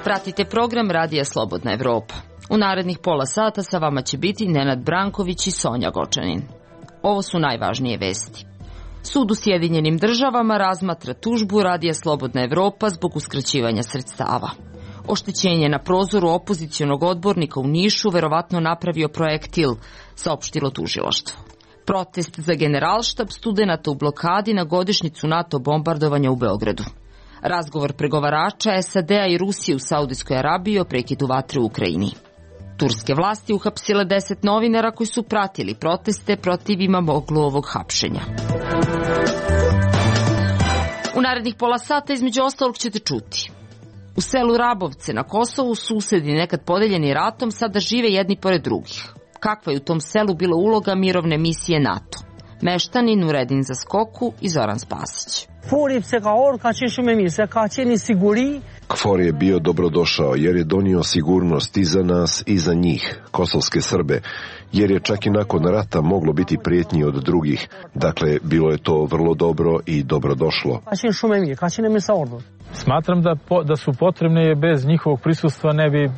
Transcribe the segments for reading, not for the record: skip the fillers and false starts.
Pratite program Radija Slobodna Evropa. U narednih pola sata sa vama će biti Nenad Branković i Sonja Gočanin. Ovo su najvažnije vesti. Sud u Sjedinjenim Državama razmatra tužbu Radija Slobodna Evropa zbog uskraćivanja sredstava. Oštećenje na prozoru opozicionog odbornika u Nišu verovatno napravio projektil, saopštilo tužilaštvo. Protest za Generalštab studenata u blokadi na godišnjicu NATO bombardovanja u Beogradu. Razgovor pregovarača SAD-a i Rusije u Saudijskoj Arabiji o prekidu vatre u Ukrajini. Turske vlasti uhapsile 10 novinara koji su pratili proteste protiv Imamogluovog hapšenja. U narednih pola sata između ostalog ćete čuti. U selu Rabovce na Kosovu susedi nekad podeljeni ratom sada žive jedni pored drugih. Kakva je u tom selu bila uloga mirovne misije NATO? Meštani Nuredin Zaskoku i Zoran Spasić. KFOR je bio dobrodošao jer je donio sigurnost i za nas i za njih, kosovske Srbe, jer je čak i nakon rata moglo biti prijetnji od drugih. Dakle, bilo je to vrlo dobro i dobrodošlo. Smatram da su potrebne, jer bez njihovog prisustva ne bi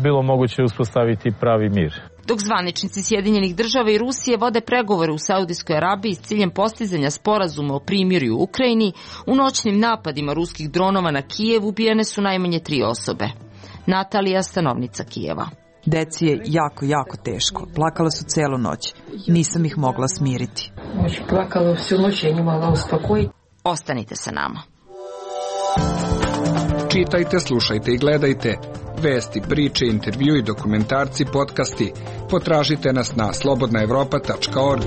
bilo moguće uspostaviti pravi mir. Dok zvaničnici Sjedinjenih Država i Rusije vode pregovore u Saudijskoj Arabiji s ciljem postizanja sporazuma o primirju u Ukrajini, u noćnim napadima ruskih dronova na Kijev ubijene su najmanje 3 osobe. Natalija, stanovnica Kijeva. Deci je jako teško. Plakala su celu noć. Nisam ih mogla smiriti. Ostanite sa nama. Čitajte, slušajte i gledajte. Vesti, priče, intervju i dokumentarci, podcasti. Potražite nas na slobodnaevropa.org.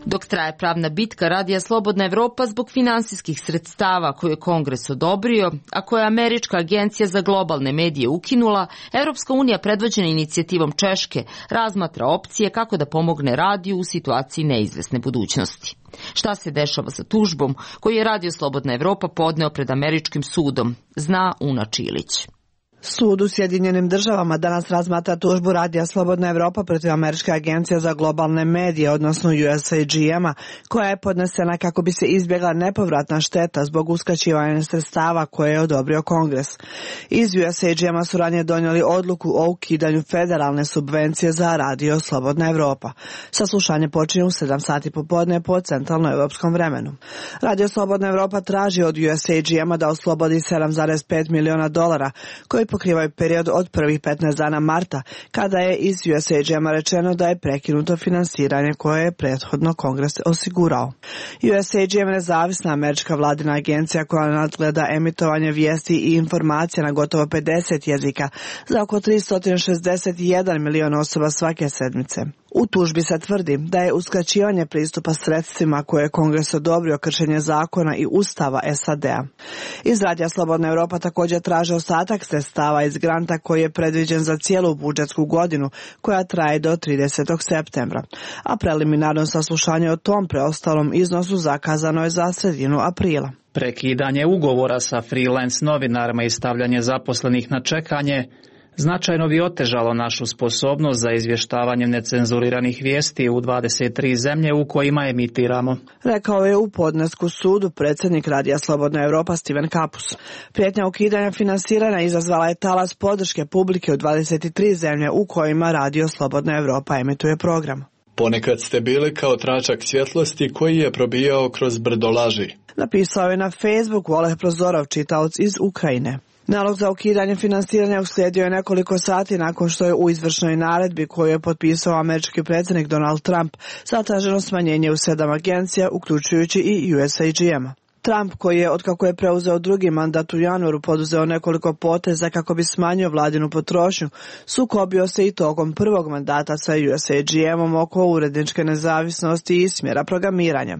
Dok traje pravna bitka Radija Slobodna Evropa zbog finansijskih sredstava koje je Kongres odobrio, a koje je Američka agencija za globalne medije ukinula, Evropska unija predvođena inicijativom Češke razmatra opcije kako da pomogne radiju u situaciji neizvesne budućnosti. Šta se dešava sa tužbom koju je Radio Slobodna Evropa podneo pred američkim sudom, zna Una Čilić. Sud u Sjedinjenim Državama danas razmatra tužbu Radija Slobodna Evropa protiv Američke agencije za globalne medije, odnosno USAGM-a, koja je podnesena kako bi se izbjegla nepovratna šteta zbog uskraćivanja sredstava koje je odobrio Kongres. Iz USAGM-a su ranije donijeli odluku o ukidanju federalne subvencije za Radio Slobodna Evropa. Saslušanje počinje u 7 sati popodne po centralnoevropskom vremenu. Radio Slobodna Evropa traži od USAGM-a da oslobodi $7,5 miliona koji pokrivaju period od prvih 15 dana marta, kada je iz USAGM-a rečeno da je prekinuto finansiranje koje je prethodno Kongres osigurao. USAGM je nezavisna američka vladina agencija koja nadgleda emitovanje vijesti i informacija na gotovo 50 jezika za oko 361 milion osoba svake sedmice. U tužbi se tvrdi da je uskraćivanje pristupa sredstvima koje je Kongres odobrio kršenje zakona i ustava SAD-a. Iz Radija Slobodna Evropa također traže ostatak sredstava iz granta koji je predviđen za cijelu budžetsku godinu koja traje do 30. septembra, a preliminarno saslušanje o tom preostalom iznosu zakazano je za sredinu aprila. Prekidanje ugovora sa freelance novinarima i stavljanje zaposlenih na čekanje značajno bi otežalo našu sposobnost za izvještavanje necenzuriranih vijesti u 23 zemlje u kojima emitiramo, rekao je u podnesku sudu predsjednik Radija Slobodna Evropa Steven Kapus. Prijetnja ukidanja finansiranja izazvala je talas podrške publike u 23 zemlje u kojima Radio Slobodna Evropa emituje program. Ponekad ste bili kao tračak svjetlosti koji je probijao kroz brdo laži, napisao je na Facebooku Oleg Prozorov, čitaoc iz Ukrajine. Nalog za ukidanje finansiranja uslijedio je nekoliko sati nakon što je u izvršnoj naredbi koju je potpisao američki predsjednik Donald Trump zatraženo smanjenje u 7 agencija, uključujući i USAGM. Trump, koji je otkako je preuzeo drugi mandat u januaru poduzeo nekoliko poteza kako bi smanjio vladinu potrošnju, sukobio se i tokom prvog mandata sa USAGM-om oko uredničke nezavisnosti i smjera programiranja.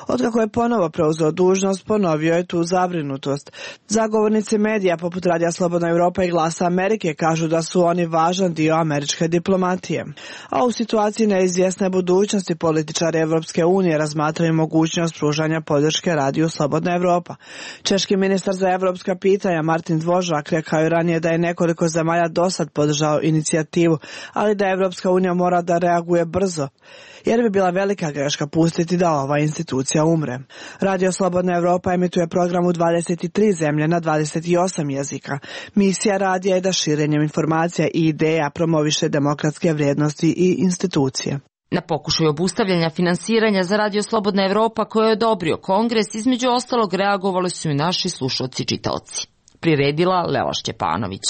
Otkako je ponovo preuzeo dužnost, ponovio je tu zabrinutost. Zagovornici medija poput Radija Slobodna Evropa i Glasa Amerike kažu da su oni važan dio američke diplomatije. A u situaciji neizvjesne budućnosti političari Evropske unije razmatraju mogućnost pružanja podrške Radiju Slobodna Slobodna Evropa. Češki ministar za evropska pitanja Martin Dvořák rekao je ranije da je nekoliko zemalja dosad podržao inicijativu, ali da Evropska unija mora da reaguje brzo, jer bi bila velika greška pustiti da ova institucija umre. Radio Slobodna Evropa emituje program u 23 zemlje na 28 jezika. Misija radija je da širenjem informacija i ideja promoviše demokratske vrijednosti i institucije. Na pokušaju obustavljanja finansiranja za Radio Slobodna Evropa koje je odobrio Kongres, između ostalog reagovali su i naši slušalci i čitaoci. Priredila Lela Šćepanović.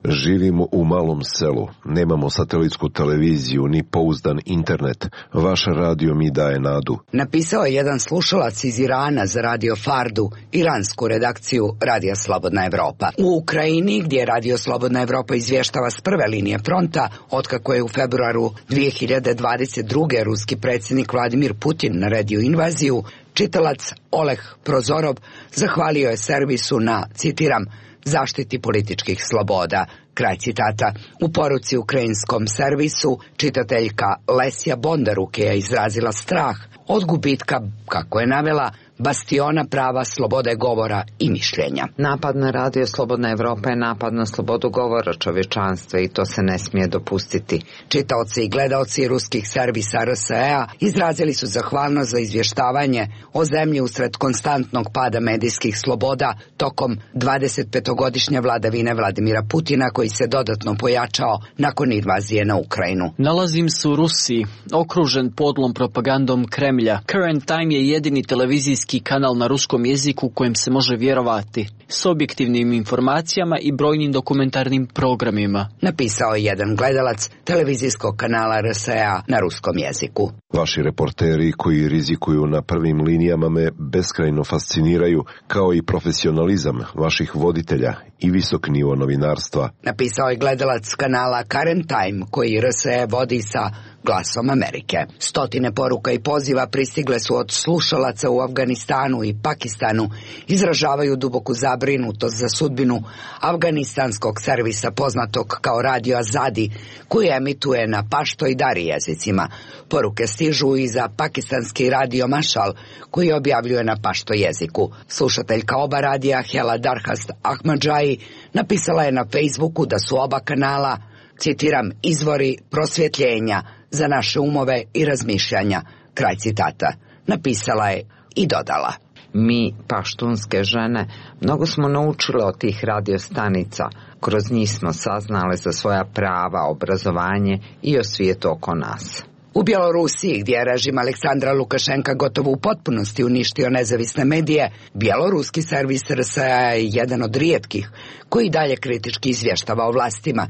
Živimo u malom selu, nemamo satelitsku televiziju ni pouzdan internet. Vaš radio mi daje nadu. Napisao je jedan slušalac iz Irana za Radio Fardu, iransku redakciju Radija Slobodna Evropa. U Ukrajini, gdje Radio Slobodna Evropa izvještava s prve linije fronta, otkako je u februaru 2022. ruski predsjednik Vladimir Putin naredio invaziju, čitalac Oleg Prozorov zahvalio je servisu na, citiram, zaštiti političkih sloboda. Kraj citata. U poruci ukrajinskom servisu čitateljka Lesja Bondaruk je izrazila strah od gubitka, kako je navela, bastiona prava slobode govora i mišljenja. Napad na Radio Slobodna Evropa je napad na slobodu govora čovječanstva i to se ne smije dopustiti. Čitaoci i gledaoci ruskih servisa RSE-a izrazili su zahvalnost za izvještavanje o zemlji usred konstantnog pada medijskih sloboda tokom 25-godišnje vladavine Vladimira Putina, koji se dodatno pojačao nakon invazije na Ukrajinu. Nalazim se u Rusiji, okružen podlom propagandom Kremlja. Current Time je jedini televizijski kanal na ruskom jeziku kojem se može vjerovati, s objektivnim informacijama i brojnim dokumentarnim programima. Napisao je jedan gledalac televizijskog kanala RSE-a na ruskom jeziku. Vaši reporteri koji rizikuju na prvim linijama me beskrajno fasciniraju, kao i profesionalizam vaših voditelja i visok nivo novinarstva. Napisao je gledalac kanala Current Time koji RSE vodi sa Glasom Amerike. Stotine poruka i poziva pristigle su od slušalaca u Afganistanu i Pakistanu, izražavaju duboku zabrinutost za sudbinu afganistanskog servisa poznatog kao Radio Azadi, koji emituje na pašto i dari jezicima. Poruke stižu i za pakistanski Radio Mashal, koji objavljuje na pašto jeziku. Slušateljka oba radija Hela Darhast Ahmadžaji napisala je na Facebooku da su oba kanala, citiram, izvori prosvjetljenja za naše umove i razmišljanja, kraj citata. Napisala je i dodala: Mi, paštunske žene, mnogo smo naučile od tih radiostanica. Kroz njih smo saznale za svoja prava, obrazovanje i o svijetu oko nas. U Bjelorusiji, gdje je režim Aleksandra Lukašenka gotovo u potpunosti uništio nezavisne medije, bjeloruski servis RSE-a je jedan od rijetkih koji dalje kritički izvještava o vlastima.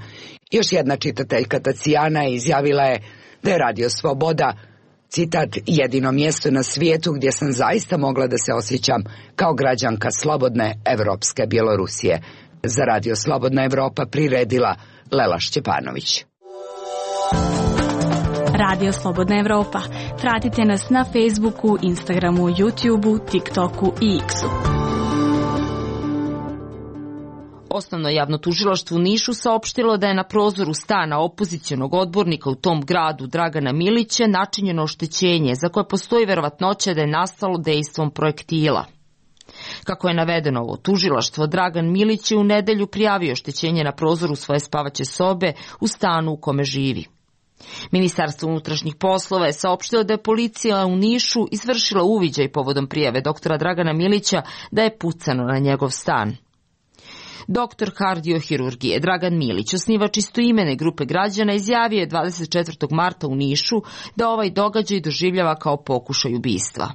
Još jedna čitateljka Tacijana izjavila je da je Radio Sloboda, citat, jedino mjesto na svijetu gdje sam zaista mogla da se osjećam kao građanka slobodne evropske Bjelorusije. Za Radio Slobodna Evropa priredila Lela Šćepanović. Radio Slobodna Evropa. Pratite nas na Facebooku, Instagramu, YouTubeu, TikToku i X-u. Osnovno javno tužilaštvo u Nišu saopštilo da je na prozoru stana opozicionog odbornika u tom gradu Dragana Milića načinjeno oštećenje za koje postoji verovatnoća da je nastalo dejstvom projektila. Kako je navedeno ovo tužilaštvo, Dragan Milić je u nedelju prijavio oštećenje na prozoru svoje spavaće sobe u stanu u kome živi. Ministarstvo unutrašnjih poslova je saopštilo da je policija u Nišu izvršila uviđaj povodom prijave doktora Dragana Milića da je pucano na njegov stan. Doktor kardiohirurgije Dragan Milić, osnivač istoimene grupe građana, izjavio je 24. marta u Nišu da ovaj događaj doživljava kao pokušaj ubistva.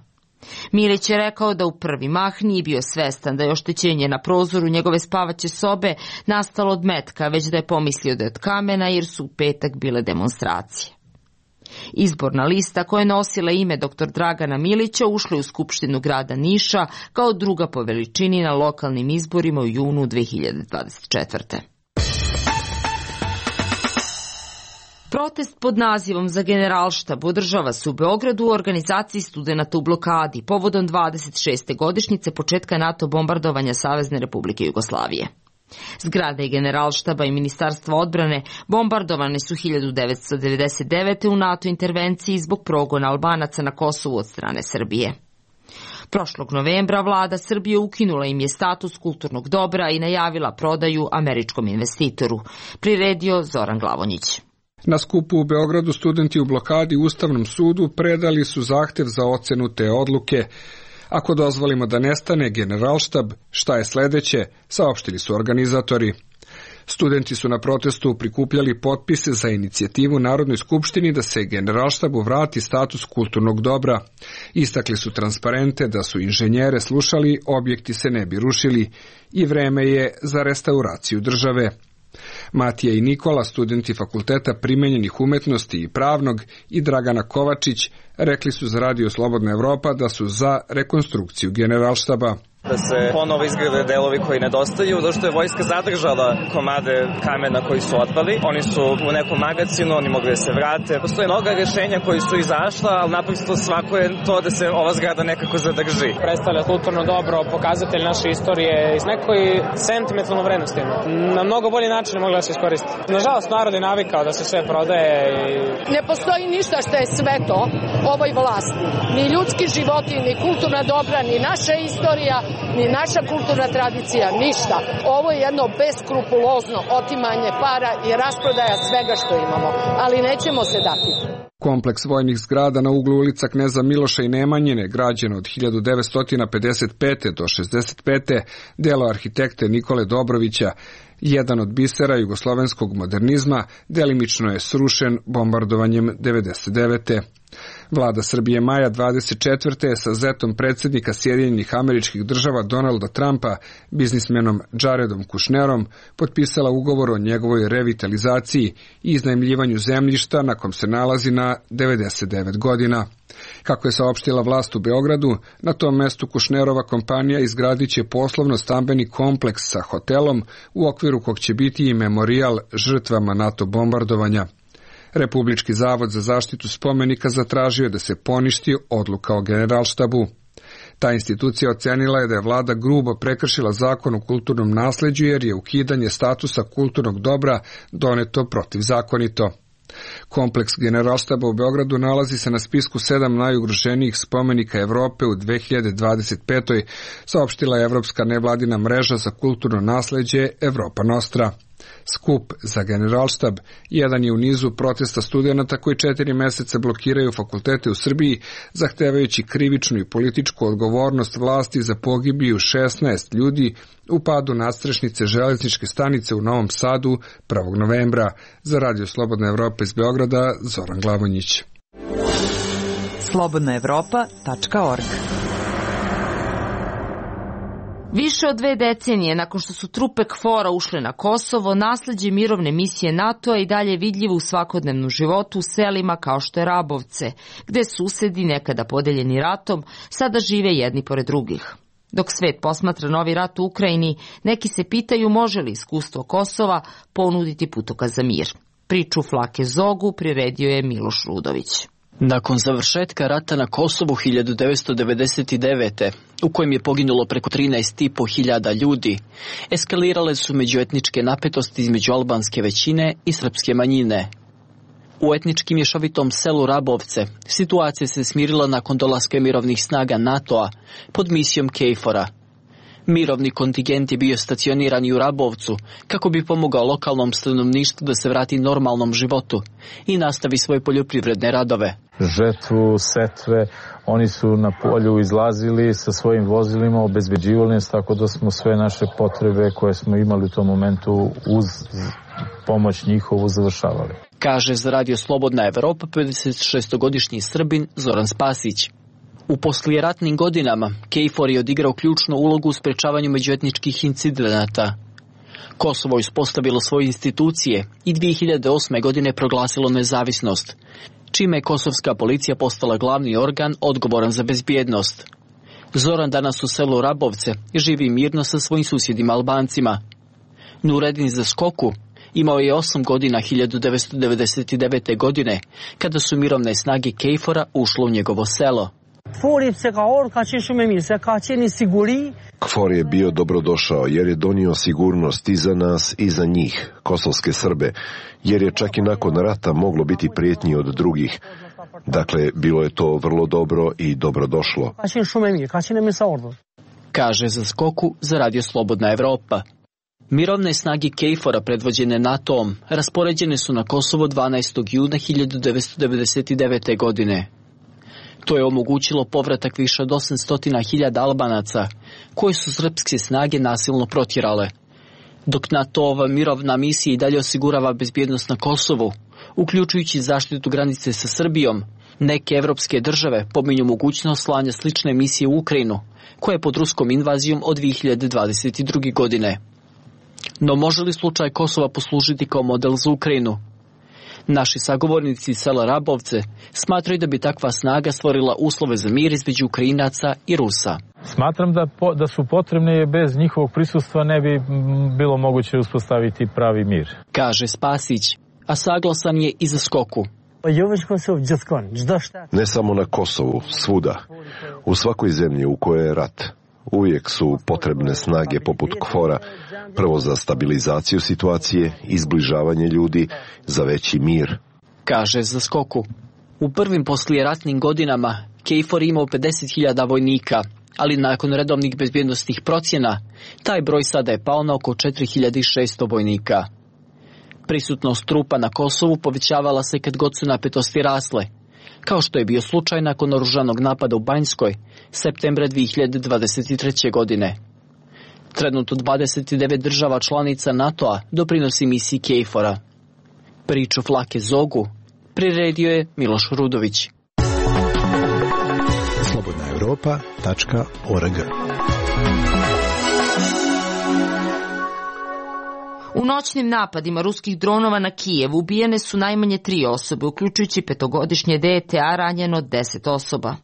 Milić je rekao da u prvi mah nije bio svestan da je oštećenje na prozoru njegove spavaće sobe nastalo od metka, već da je pomislio da je od kamena jer su u petak bile demonstracije. Izborna lista koja je nosila ime dr. Dragana Milića ušla je u Skupštinu grada Niša kao druga po veličini na lokalnim izborima u junu 2024. Protest pod nazivom Za generalštab održava se u Beogradu u organizaciji studenata u blokadi povodom 26. godišnjice početka NATO bombardovanja Savezne Republike Jugoslavije. Zgrade generalštaba i Ministarstva odbrane bombardovane su 1999. u NATO intervenciji zbog progona Albanaca na Kosovu od strane Srbije. Prošlog novembra vlada Srbije ukinula im je status kulturnog dobra i najavila prodaju američkom investitoru. Priredio Zoran Glavonjić. Na skupu u Beogradu studenti u blokadi Ustavnom sudu predali su zahtev za ocenu te odluke. Ako dozvolimo da nestane Generalštab, šta je sledeće, saopštili su organizatori. Studenti su na protestu prikupljali potpise za inicijativu Narodnoj skupštini da se Generalštabu vrati status kulturnog dobra. Istakli su transparente da su inženjere slušali, objekti se ne bi rušili i vreme je za restauraciju države. Matija i Nikola, studenti Fakulteta primenjenih umetnosti i pravnog, i Dragana Kovačić rekli su za Radio Slobodna Evropa da su za rekonstrukciju Generalštaba. Da se ponovo izgrade delovi koji nedostaju, zato što je vojska zadržala komade kamena koji su otpali. Oni su u nekom magacinu, oni mogli da se vrate. Postoje mnoga rješenja koji su izašla, ali naprosto svako je to da se ova zgrada nekako zadrži. Predstavlja kulturno dobro, pokazatelj naše istorije i s nekoj sentimentalnom vrednostima. Na mnogo bolji način je mogla da se iskoristi. Nažalost, narod je navikao da se sve prodaje i... Ne postoji ništa što je sveto ovoj vlasti. Ni ljudski životi, ni kulturna dobra, ni naša istorija, ni naša kulturna tradicija, ništa. Ovo je jedno beskrupulozno otimanje para i rasprodaja svega što imamo, ali nećemo se dati. Kompleks vojnih zgrada na uglu ulica Kneza Miloša i Nemanjine, građeno od 1955. do 65. delo arhitekte Nikole Dobrovića, jedan od bisera jugoslovenskog modernizma, delimično je srušen bombardovanjem 99. Vlada Srbije maja 24. sa zetom predsjednika Sjedinjenih Američkih Država Donalda Trumpa, biznismenom Jaredom Kushnerom, potpisala ugovor o njegovoj revitalizaciji i iznajmljivanju zemljišta na kom se nalazi na 99 godina. Kako je saopštila vlast u Beogradu, na tom mestu Kushnerova kompanija izgradit će poslovno-stambeni kompleks sa hotelom, u okviru kog će biti i memorijal žrtvama NATO bombardovanja. Republički zavod za zaštitu spomenika zatražio je da se poništi odluka o Generalštabu. Ta institucija ocenila je da je vlada grubo prekršila zakon o kulturnom nasleđu jer je ukidanje statusa kulturnog dobra doneto protivzakonito. Kompleks Generalštaba u Beogradu nalazi se na spisku 7 najugroženijih spomenika Evrope u 2025. saopštila je Evropska nevladina mreža za kulturno nasleđe Evropa Nostra. Skup za Generalštab jedan je u nizu protesta studenata koji 4 meseca blokiraju fakultete u Srbiji, zahtevajući krivičnu i političku odgovornost vlasti za pogibiju 16 ljudi u padu nadstrešnice železničke stanice u Novom Sadu 1. novembra. Za Radio Slobodna Evropa iz Beograda, Zoran Glavonjić. slobodnaevropa.org. Više od 2 decenije nakon što su trupe KFOR-a ušle na Kosovo, nasleđe mirovne misije NATO-a i dalje vidljivo u svakodnevnom životu u selima kao što je Rabovce, gde susedi nekada podeljeni ratom sada žive jedni pored drugih. Dok svet posmatra novi rat u Ukrajini, neki se pitaju može li iskustvo Kosova ponuditi putokaz za mir. Priču Flake Zogu priredio je Miloš Rudović. Nakon završetka rata na Kosovu 1999. u kojem je poginulo preko 13.500 ljudi, eskalirale su međuetničke napetosti između albanske većine i srpske manjine. U etnički mješovitom selu Rabovce situacija se smirila nakon dolaska mirovnih snaga NATO-a pod misijom KFOR-a. Mirovni kontingent je bio stacioniran i u Rabovcu kako bi pomogao lokalnom stanovništvu da se vrati normalnom životu i nastavi svoje poljoprivredne radove. Žetvu, setve, oni su na polju izlazili sa svojim vozilima, obezbeđivali nas, tako da smo sve naše potrebe koje smo imali u tom momentu uz pomoć njihovu završavali. Kaže za Radio Slobodna Evropa 56-godišnji Srbin Zoran Spasić. U poslijeratnim godinama KFOR je odigrao ključnu ulogu u sprečavanju međuetničkih incidenata. Kosovo je uspostavilo svoje institucije i 2008. godine proglasilo nezavisnost, čime je kosovska policija postala glavni organ odgovoran za bezbjednost. Zoran danas u selu Rabovce živi mirno sa svojim susjedima Albancima. Nuredin Zaskoku imao je 8 godina 1999. godine, kada su mirovne snage KFOR-a ušle u njegovo selo. KFOR je bio dobrodošao jer je donio sigurnost i za nas i za njih, kosovske Srbe, jer je čak i nakon rata moglo biti prijetnji od drugih. Dakle, bilo je to vrlo dobro i dobrodošlo. Kaže za Skoku za Radio Slobodna Evropa. Mirovne snage KFOR-a predvođene NATO-om raspoređene su na Kosovo 12. juna 1999. godine. To je omogućilo povratak više od 800.000 Albanaca, koje su srpske snage nasilno protjerale. Dok NATO-ova mirovna misija i dalje osigurava bezbjednost na Kosovu, uključujući zaštitu granice sa Srbijom, neke evropske države pominju mogućnost slanja slične misije u Ukrajinu, koja je pod ruskom invazijom od 2022. godine. No može li slučaj Kosova poslužiti kao model za Ukrajinu? Naši sagovornici iz sela Rabovce smatraju da bi takva snaga stvorila uslove za mir između Ukrajinaca i Rusa. Smatram da su potrebne, jer bez njihovog prisustva ne bi bilo moguće uspostaviti pravi mir. Kaže Spasić, a saglasan je i za Skoku. Ne samo na Kosovu, svuda. U svakoj zemlji u kojoj je rat, uvijek su potrebne snage poput KFOR-a, prvo za stabilizaciju situacije, izbližavanje ljudi, za veći mir. Kaže za Skoku. U prvim poslijeratnim godinama KFOR imao 50.000 vojnika, ali nakon redovnih bezbjednostnih procjena, taj broj sada je pao na oko 4.600 vojnika. Prisutnost trupa na Kosovu povećavala se kad god su napetosti rasle, kao što je bio slučaj nakon oružanog napada u Banjskoj, septembra 2023. godine. Trenutno 29 država članica NATO-a doprinosi misiji KFOR-a. Priču Flake Zogu priredio je Miloš Rudović. slobodnaevropa.org. U noćnim napadima ruskih dronova na Kijev ubijene su najmanje 3 osobe, uključujući 5-godišnje dete, a ranjeno 10 osoba.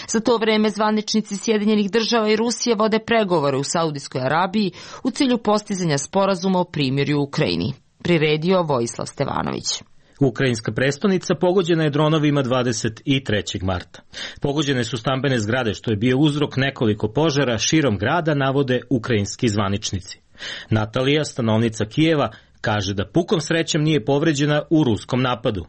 Za to vreme zvaničnici Sjedinjenih država i Rusije vode pregovore u Saudijskoj Arabiji u cilju postizanja sporazuma o primirju u Ukrajini. Priredio Vojislav Stevanović. Ukrajinska prestonica pogođena je dronovima 23. marta. Pogođene su stambene zgrade, što je bio uzrok nekoliko požara širom grada, navode ukrajinski zvaničnici. Natalija, stanovnica Kijeva, kaže da pukom srećem nije povređena u ruskom napadu.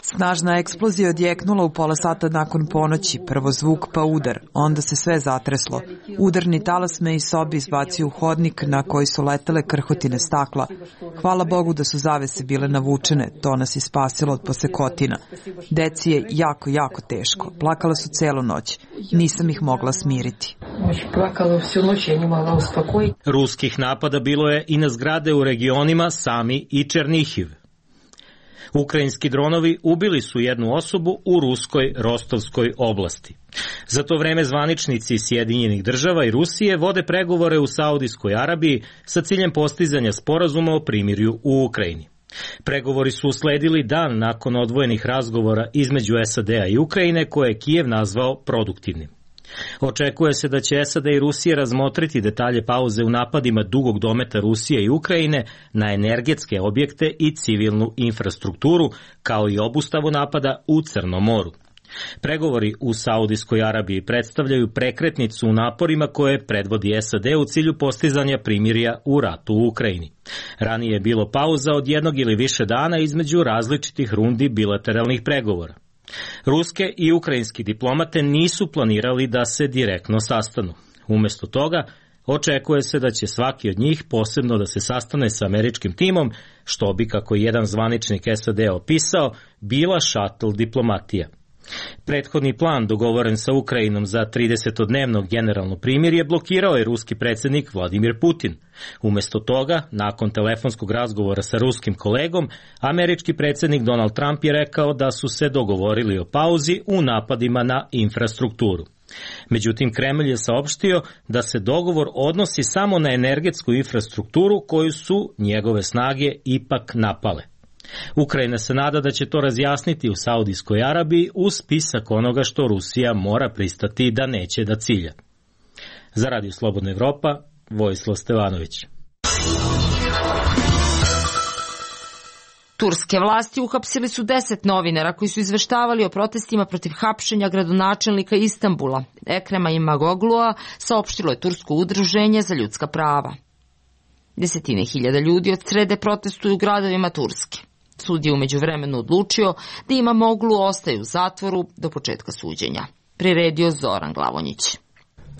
Snažna eksplozija odjeknula u pola sata nakon ponoći, prvo zvuk pa udar, onda se sve zatreslo. Udarni talas me iz sobi izbacio u hodnik na koji su letele krhotine stakla. Hvala Bogu da su zavese bile navučene, to nas je spasilo od posekotina. Deci je jako teško, plakala su celu noć, nisam ih mogla smiriti. Ruskih napada bilo je i na zgrade u regionima Sami i Černihiv. Ukrajinski dronovi ubili su jednu osobu u ruskoj Rostovskoj oblasti. Za to vreme zvaničnici Sjedinjenih država i Rusije vode pregovore u Saudijskoj Arabiji sa ciljem postizanja sporazuma o primirju u Ukrajini. Pregovori su usledili dan nakon odvojenih razgovora između SAD-a i Ukrajine, koje je Kijev nazvao produktivnim. Očekuje se da će SAD i Rusija razmotriti detalje pauze u napadima dugog dometa Rusije i Ukrajine na energetske objekte i civilnu infrastrukturu, kao i obustavu napada u Crnom moru. Pregovori u Saudijskoj Arabiji predstavljaju prekretnicu u naporima koje predvodi SAD u cilju postizanja primirja u ratu u Ukrajini. Ranije je bilo pauza od 1 ili više dana između različitih rundi bilateralnih pregovora. Ruske i ukrajinski diplomate nisu planirali da se direktno sastanu. Umjesto toga, očekuje se da će svaki od njih posebno da se sastane sa američkim timom, što bi, kako jedan zvaničnik SAD opisao, bila šatl diplomatija. Prethodni plan dogovoren sa Ukrajinom za 30-dnevno generalno primirje blokirao je ruski predsjednik Vladimir Putin. Umjesto toga, nakon telefonskog razgovora sa ruskim kolegom, američki predsjednik Donald Trump je rekao da su se dogovorili o pauzi u napadima na infrastrukturu. Međutim, Kremlj je saopštio da se dogovor odnosi samo na energetsku infrastrukturu koju su njegove snage ipak napale. Ukrajina se nada da će to razjasniti u Saudijskoj Arabiji uz spisak onoga što Rusija mora pristati da neće da cilja. Za Radio Slobodna Evropa, Vojislav Stevanović. Turske vlasti uhapsili su 10 novinara koji su izveštavali o protestima protiv hapšenja gradonačelnika Istanbula. Ekrema Imamoglu'a, saopštilo je Tursko udruženje za ljudska prava. 10.000 ljudi od srede protestuju u gradovima Turske. Sud je umeđu vremenu odlučio da Imamoglu ostaje u zatvoru do početka suđenja. Priredio Zoran Glavonjić.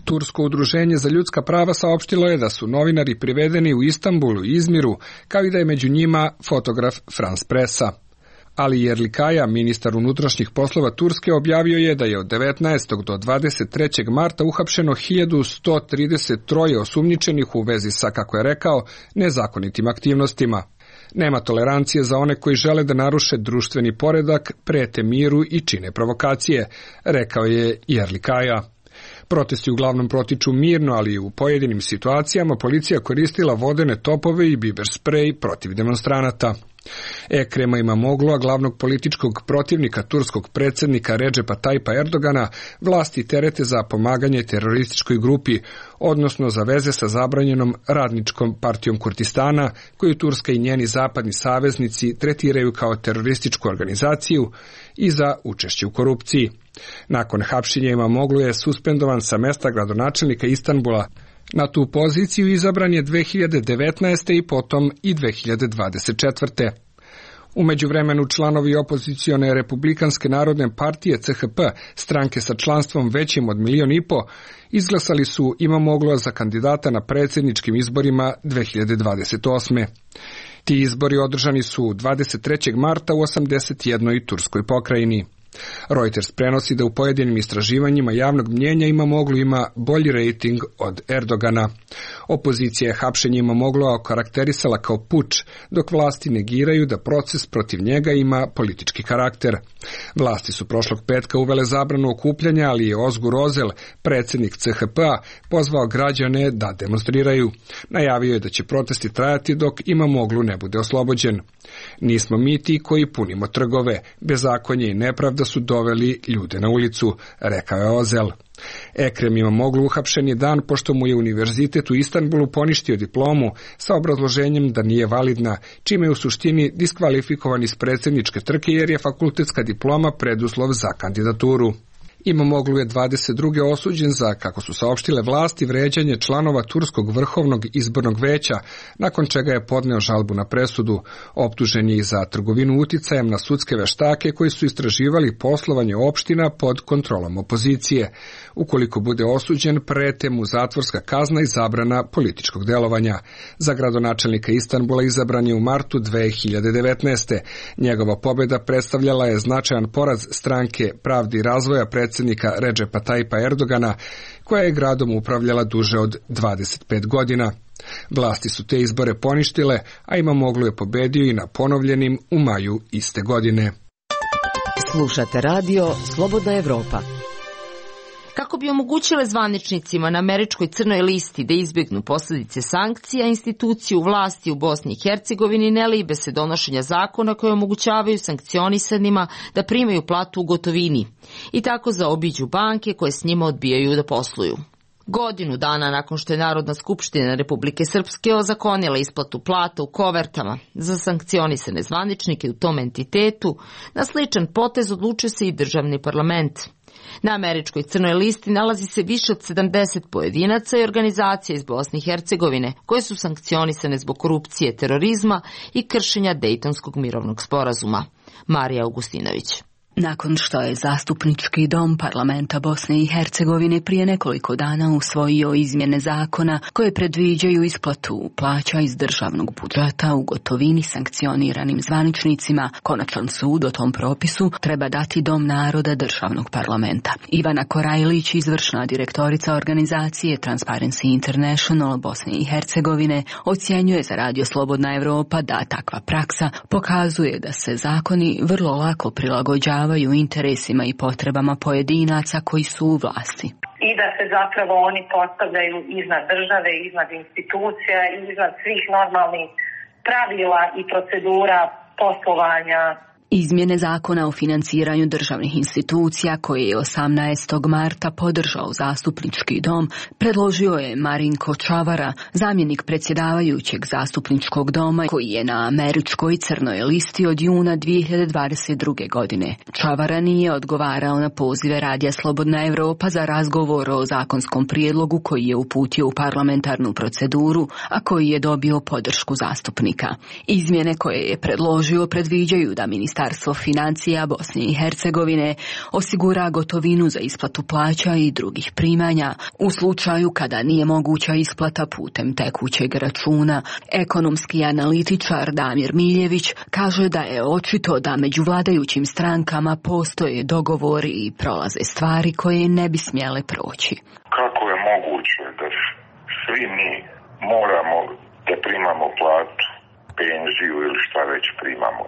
Tursko udruženje za ljudska prava saopštilo je da su novinari privedeni u Istanbulu i Izmiru, kao i da je među njima fotograf France Pressa. Ali Yerlikaya, ministar unutrašnjih poslova Turske, objavio je da je od 19. do 23. marta uhapšeno 1133 osumnjičenih u vezi sa, kako je rekao, nezakonitim aktivnostima. Nema tolerancije za one koji žele da naruše društveni poredak, prete miru i čine provokacije, rekao je Yerlikaya. Protesti uglavnom protiču mirno, ali u pojedinim situacijama policija koristila vodene topove i biber sprej protiv demonstranata. Ekrema Imamoglu, glavnog političkog protivnika turskog predsjednika Redžepa Tajpa Erdogana, vlasti terete za pomaganje terorističkoj grupi, odnosno za veze sa zabranjenom radničkom partijom Kurdistana, koju Turska i njeni zapadni saveznici tretiraju kao terorističku organizaciju, i za učešće u korupciji. Nakon hapšenja Imamoglu je suspendovan sa mesta gradonačelnika Istanbula. Na tu poziciju izabran je 2019. i potom i 2024. U međuvremenu članovi opozicione Republikanske narodne partije CHP, stranke sa članstvom većim od 1,5 miliona, izglasali su Imamoglu za kandidata na predsjedničkim izborima 2028. Ti izbori održani su 23. marta u 81. turskoj pokrajini. Reuters prenosi da u pojedinim istraživanjima javnog mnjenja Imamoglu ima bolji rejting od Erdogana. Opozicija je hapšenje Imamoglu okarakterisala kao puč, dok vlasti negiraju da proces protiv njega ima politički karakter. Vlasti su prošlog petka uvele zabranu okupljanja, ali je Ozgur Ozel, predsjednik CHP-a, pozvao građane da demonstriraju. Najavio je da će protesti trajati dok Imamoglu ne bude oslobođen. Nismo mi ti koji punimo trgove, bezakonje i nepravda su doveli ljude na ulicu, rekao je Ozel. Ekrem Imamoglu uhapšen je dan pošto mu je univerzitet u Istanbulu poništio diplomu sa obrazloženjem da nije validna, čime je u suštini diskvalifikovan iz predsjedničke trke jer je fakultetska diploma preduslov za kandidaturu. Imamoglu je 22. osuđen za, kako su saopštile vlasti, vređanje članova Turskog vrhovnog izbornog veća, nakon čega je podneo žalbu na presudu. Optužen je i za trgovinu uticajem na sudske veštake koji su istraživali poslovanje opština pod kontrolom opozicije. Ukoliko bude osuđen, prete mu zatvorska kazna i zabrana političkog delovanja. Za gradonačelnika Istanbula izabran je u martu 2019. Njegova pobjeda predstavljala je značajan poraz stranke Pravde i razvoja predsjednika Redžepa Tajpa Erdogana, koja je gradom upravljala duže od 25 godina. Vlasti su te izbore poništile, a Imamoglu je pobedio i na ponovljenim u maju iste godine. Slušate radio Slobodna Evropa. Kako bi omogućile zvaničnicima na američkoj crnoj listi da izbjegnu posljedice sankcija, institucije u vlasti u Bosni i Hercegovini ne libe se donošenja zakona koje omogućavaju sankcionisanima da primaju platu u gotovini i tako zaobiđu banke koje s njima odbijaju da posluju. Godinu dana nakon što je Narodna skupština Republike Srpske ozakonila isplatu plata u kovertama za sankcionisane zvaničnike u tom entitetu, na sličan potez odlučio se i državni parlament. Na američkoj crnoj listi nalazi se više od 70 pojedinaca i organizacija iz Bosne i Hercegovine koje su sankcionisane zbog korupcije, terorizma i kršenja Dejtonskog mirovnog sporazuma. Marija Augustinović. Nakon što je Zastupnički dom parlamenta Bosne i Hercegovine prije nekoliko dana usvojio izmjene zakona koje predviđaju isplatu plaća iz državnog budžeta u gotovini sankcioniranim zvaničnicima, konačan sud o tom propisu treba dati Dom naroda državnog parlamenta. Ivana Korajlić, izvršna direktorica organizacije Transparency International Bosne i Hercegovine, ocjenjuje za Radio Slobodna Evropa da takva praksa pokazuje da se zakoni vrlo lako prilagođavaju interesima i potrebama pojedinaca koji su u vlasti. I da se zapravo oni postavljaju iznad države, iznad institucija i iznad svih normalnih pravila i procedura poslovanja. Izmjene zakona o financiranju državnih institucija koje je 18. marta podržao zastupnički dom predložio je Marinko Čavara, zamjenik predsjedavajućeg zastupničkog doma koji je na američkoj crnoj listi od juna 2022. godine. Čavara nije odgovarao na pozive Radija Slobodna Evropa za razgovor o zakonskom prijedlogu koji je uputio u parlamentarnu proceduru, a koji je dobio podršku zastupnika. Izmjene koje je predložio predviđaju da Ministarstvo financija Bosne i Hercegovine osigura gotovinu za isplatu plaća i drugih primanja u slučaju kada nije moguća isplata putem tekućeg računa. Ekonomski analitičar Damir Miljević kaže da je očito da među vladajućim strankama postoje dogovori i prolaze stvari koje ne bi smjele proći. Kako je moguće da svi mi moramo da primamo platu, penziju ili šta već primamo,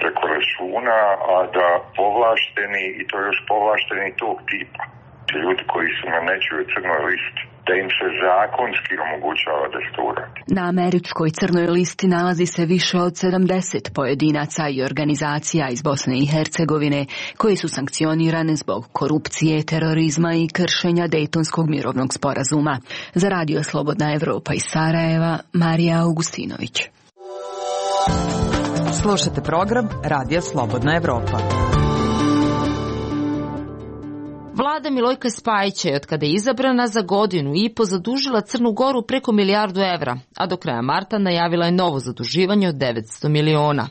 preko računa, a da povlašteni, i to još povlašteni tog tipa, ljudi koji su na nečijoj crnoj listi, da im se zakonski omogućava da se to uradi. Na američkoj crnoj listi nalazi se više od 70 pojedinaca i organizacija iz Bosne i Hercegovine koji su sankcionirane zbog korupcije, terorizma i kršenja Dejtonskog mirovnog sporazuma. Za Radio Slobodna Evropa iz Sarajeva, Marija Augustinović. Slušate program Radija Slobodna Evropa. Vlada Milojka Spajića je od kada je izabrana za 1.5 godinu zadužila Crnu Goru preko 1 milijardu evra, a do kraja marta najavila je novo zaduživanje od 900 miliona.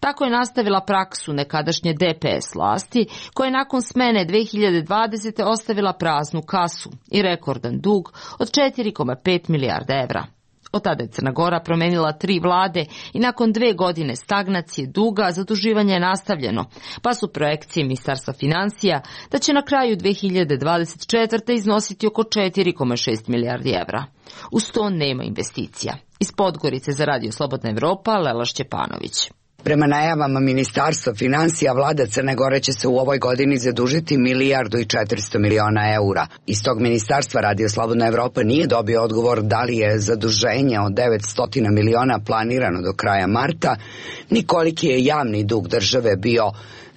Tako je nastavila praksu nekadašnje DPS vlasti, koja je nakon smene 2020. ostavila praznu kasu i rekordan dug od 4,5 milijarda evra. Od tada je Crna Gora promenila 3 vlade i nakon 2 godine stagnacije duga zaduživanje je nastavljeno, pa su projekcije Ministarstva financija da će na kraju 2024. iznositi oko 4,6 milijardi evra. Uz to nema investicija. Iz Podgorice za Radio Slobodna Evropa, Lela Šćepanović. Prema najavama Ministarstva financija, vlada Crne Gore će se u ovoj godini zadužiti 1 milijardu i 400 miliona eura. Iz tog ministarstva Radio Slobodna Evropa nije dobio odgovor da li je zaduženje od 900 miliona planirano do kraja marta, ni koliki je javni dug države bio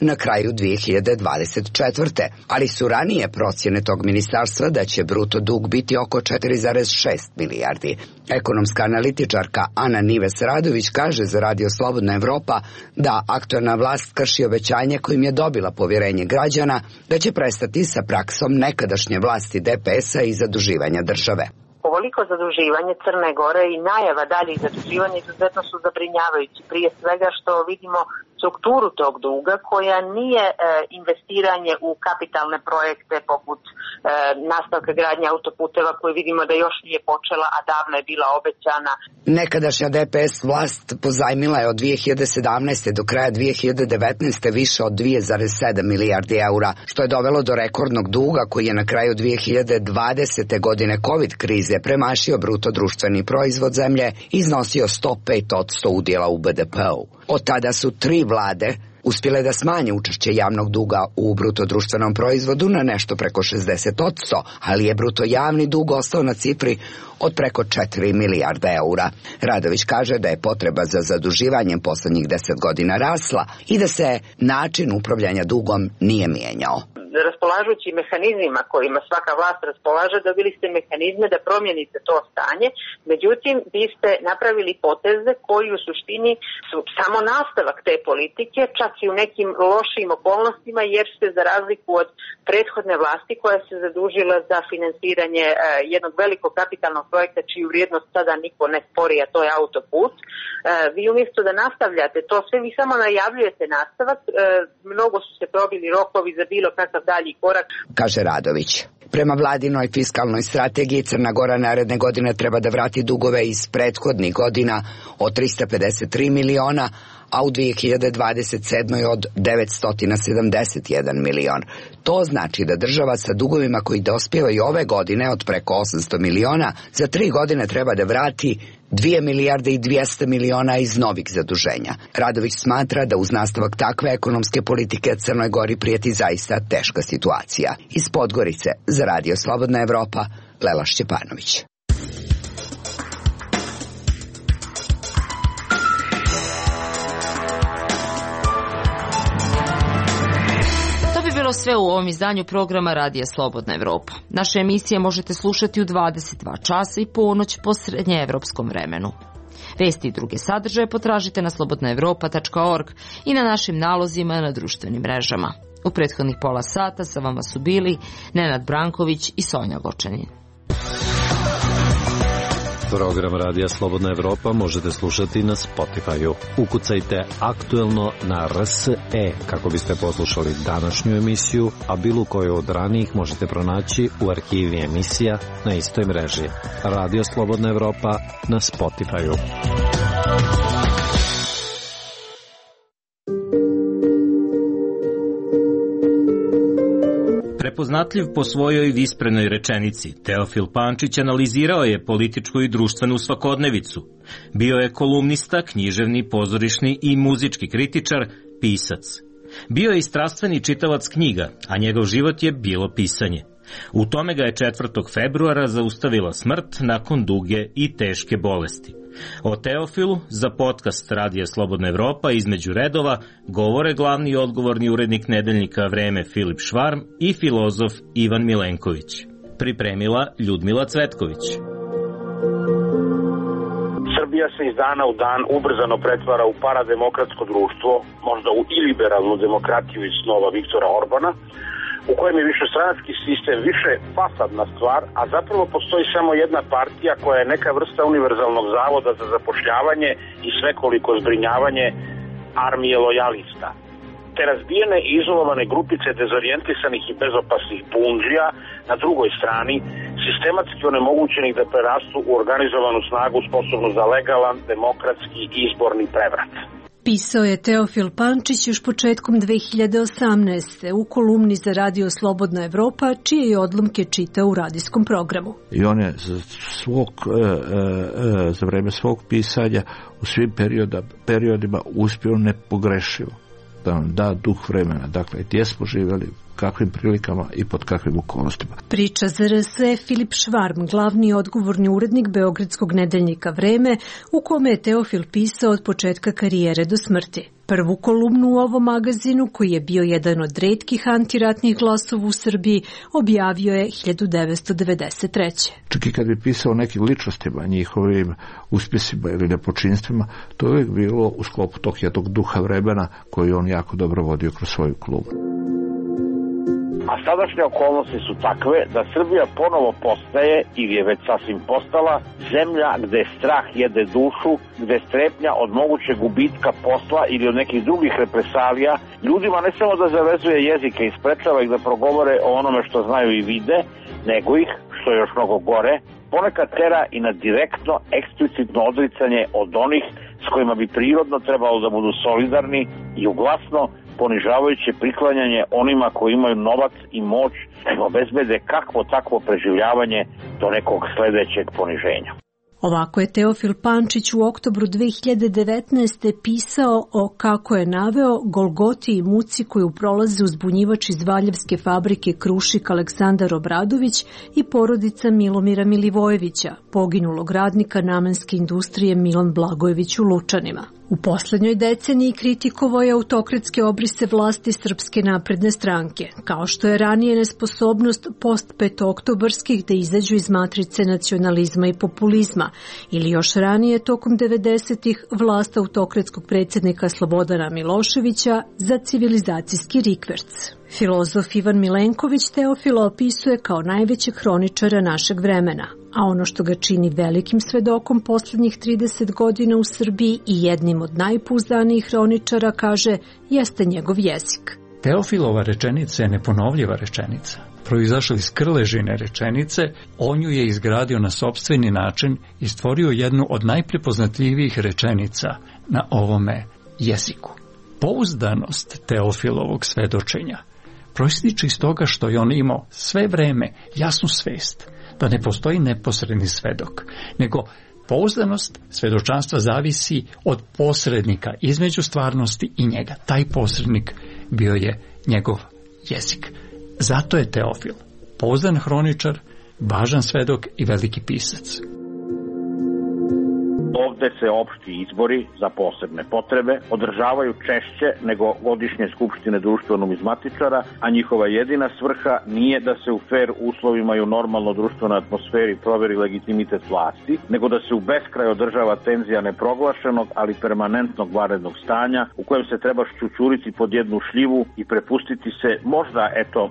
na kraju 2024. Ali su ranije procjene tog ministarstva da će bruto dug biti oko 4,6 milijardi. Ekonomska analitičarka Ana Nives Radović kaže za Radio Slobodna Evropa da aktualna vlast krši obećanje kojim je dobila povjerenje građana da će prestati sa praksom nekadašnje vlasti DPS-a i zaduživanja države. Ovoliko zaduživanje Crne Gore i najava daljih zaduživanja izuzetno su zabrinjavajući. Prije svega što vidimo strukturu tog duga koja nije investiranje u kapitalne projekte poput nastavka gradnje autoputeva koje vidimo da još nije počela, a davno je bila obećana. Nekadašnja DPS vlast pozajmila je od 2017. do kraja 2019. više od 2,7 milijardi eura, što je dovelo do rekordnog duga koji je na kraju 2020. godine COVID krize premašio bruto društveni proizvod zemlje i iznosio 105% udjela u BDP-u. Od tada su 3 vlade uspjele da smanje učešće javnog duga u bruto društvenom proizvodu na nešto preko 60%, ali je bruto javni dug ostao na cifri od preko 4 milijarda eura. Radović kaže da je potreba za zaduživanjem posljednjih 10 godina rasla i da se način upravljanja dugom nije mijenjao. Raspolažući mehanizmima kojima svaka vlast raspolaže, dobili ste mehanizme da promijenite to stanje, međutim vi ste napravili poteze koji u suštini su samo nastavak te politike, čak i u nekim lošim okolnostima, jer ste za razliku od prethodne vlasti koja se zadužila za finansiranje jednog velikog kapitalnog projekta čiju vrijednost sada niko ne spori, a to je autoput, vi umjesto da nastavljate to sve, vi samo najavljujete nastavak, mnogo su se probili rokovi za bilo kakav dalji korak, kaže Radović. Prema vladinoj fiskalnoj strategiji Crna Gora naredne godine treba da vrati dugove iz prethodnih godina od 353 miliona, a u 2027. od 971 milion. To znači da država sa dugovima koji dospijevaju ove godine od preko 800 miliona za 3 godine treba da vrati 2 milijarde i 200 miliona iz novih zaduženja. Radović smatra da uz nastavak takve ekonomske politike Crnoj Gori prijeti zaista teška situacija. Iz Podgorice za Radio Slobodna Evropa, Lela Šćepanović. Evo sve u ovom izdanju programa Radija Slobodna Evropa. Naše emisije možete slušati u 22 časa i ponoć po srednjeevropskom vremenu. Vesti i druge sadržaje potražite na slobodnaevropa.org i na našim nalozima na društvenim mrežama. U prethodnih pola sata sa vama su bili Nenad Branković i Sonja Gočanin. Program Radija Slobodna Evropa možete slušati na Spotify-u. Ukucajte Aktuelno na RSE kako biste poslušali današnju emisiju, a bilo koju od ranijih možete pronaći u arhivi emisija na istoj mreži. Radio Slobodna Evropa na Spotify-u. Prepoznatljiv po svojoj visprenoj rečenici, Teofil Pančić analizirao je političku i društvenu svakodnevicu. Bio je kolumnista, književni, pozorišni i muzički kritičar, pisac. Bio je i strastveni čitalac knjiga, a njegov život je bilo pisanje. U tome ga je 4. februara zaustavila smrt nakon duge i teške bolesti. O Teofilu za podcast Radija Slobodna Evropa između redova govore glavni i odgovorni urednik nedeljnika Vreme Filip Švarm i filozof Ivan Milenković. Pripremila Ljudmila Cvetković. Srbija se iz dana u dan ubrzano pretvara u parademokratsko društvo, možda u iliberalnu demokratiju iz snova Viktora Orbana, u kojem je višestranački sistem više fasadna stvar, a zapravo postoji samo jedna partija koja je neka vrsta univerzalnog zavoda za zapošljavanje i svekoliko zbrinjavanje armije lojalista. Te razbijene i izolovane grupice dezorijentisanih i bezopasnih bundžija na drugoj strani, sistematski onemogućenih da prerastu u organizovanu snagu sposobnu za legalan, demokratski izborni prevrat. Pisao je Teofil Pančić još početkom 2018. u kolumni za Radio Slobodna Evropa, čije je odlomke čitao u radijskom programu. I on je za vreme svog pisanja u svim periodima uspio nepogrešivo da nam da duh vremena. Dakle, gdje smo živjeli, kakvim prilikama i pod kakvim okolnostima. Priča za RSE Filip Švarm, glavni i odgovorni urednik beogradskog nedeljnika Vreme, u kome je Teofil pisao od početka karijere do smrti. Prvu kolumnu u ovom magazinu, koji je bio jedan od retkih antiratnih glasova u Srbiji, objavio je 1993. Čak i kad bi pisao o nekim ličnostima, njihovim uspjesima ili nepočinstvima, to je uvijek bilo u sklopu tog jednog duha vremena koji on jako dobro vodio kroz svoju kolumnu. A sadašnje okolnosti su takve da Srbija ponovo postaje, ili je već sasvim postala, zemlja gde strah jede dušu, gde strepnja od mogućeg gubitka posla ili od nekih drugih represalija ljudima ne samo da zavezuje jezike i sprečava ih da progovore o onome što znaju i vide, nego ih, što je još mnogo gore, ponekad tera i na direktno, eksplicitno odricanje od onih s kojima bi prirodno trebalo da budu solidarni i uglasno ponižavajuće priklanjanje onima koji imaju novac i moć da obezbede kakvo takvo preživljavanje do nekog sledećeg poniženja. Ovako je Teofil Pančić u oktobru 2019. pisao o, kako je naveo, golgoti i muci koju prolaze uzbunjivač iz Valjevske fabrike Krušik Aleksandar Obradović i porodica Milomira Milivojevića, poginulog radnika namenske industrije Milan Blagojević u Lučanima. U poslednjoj deceniji kritikovao je autokratske obrise vlasti Srpske napredne stranke, kao što je ranije nesposobnost post-petooktobarskih da izađu iz matrice nacionalizma i populizma, ili još ranije tokom 90-ih vlast autokratskog predsjednika Slobodana Miloševića za civilizacijski rikverc. Filozof Ivan Milenković Teofila opisuje kao najvećeg hroničara našeg vremena, a ono što ga čini velikim svedokom poslednjih 30 godina u Srbiji i jednim od najpouzdanijih hroničara, kaže, jeste njegov jezik. Teofilova rečenica je neponovljiva rečenica. Proizašla iz krležine rečenice, on ju je izgradio na sopstveni način i stvorio jednu od najprepoznatljivijih rečenica na ovome jeziku. Pouzdanost Teofilovog svedočenja proističe iz toga što je on imao sve vreme jasnu svest da ne postoji neposredni svedok, nego pouzdanost svedočanstva zavisi od posrednika između stvarnosti i njega. Taj posrednik bio je njegov jezik. Zato je Teofil pouzdan hroničar, važan svedok i veliki pisac. Ovde se opšti izbori za posebne potrebe održavaju češće nego godišnje skupštine društveno-numizmatičara, a njihova jedina svrha nije da se u fair uslovima i u normalno društvenoj atmosferi proveri legitimitet vlasti, nego da se u beskraj održava tenzija neproglašenog, ali permanentnog vanrednog stanja u kojem se treba šćućuriti pod jednu šljivu i prepustiti se možda,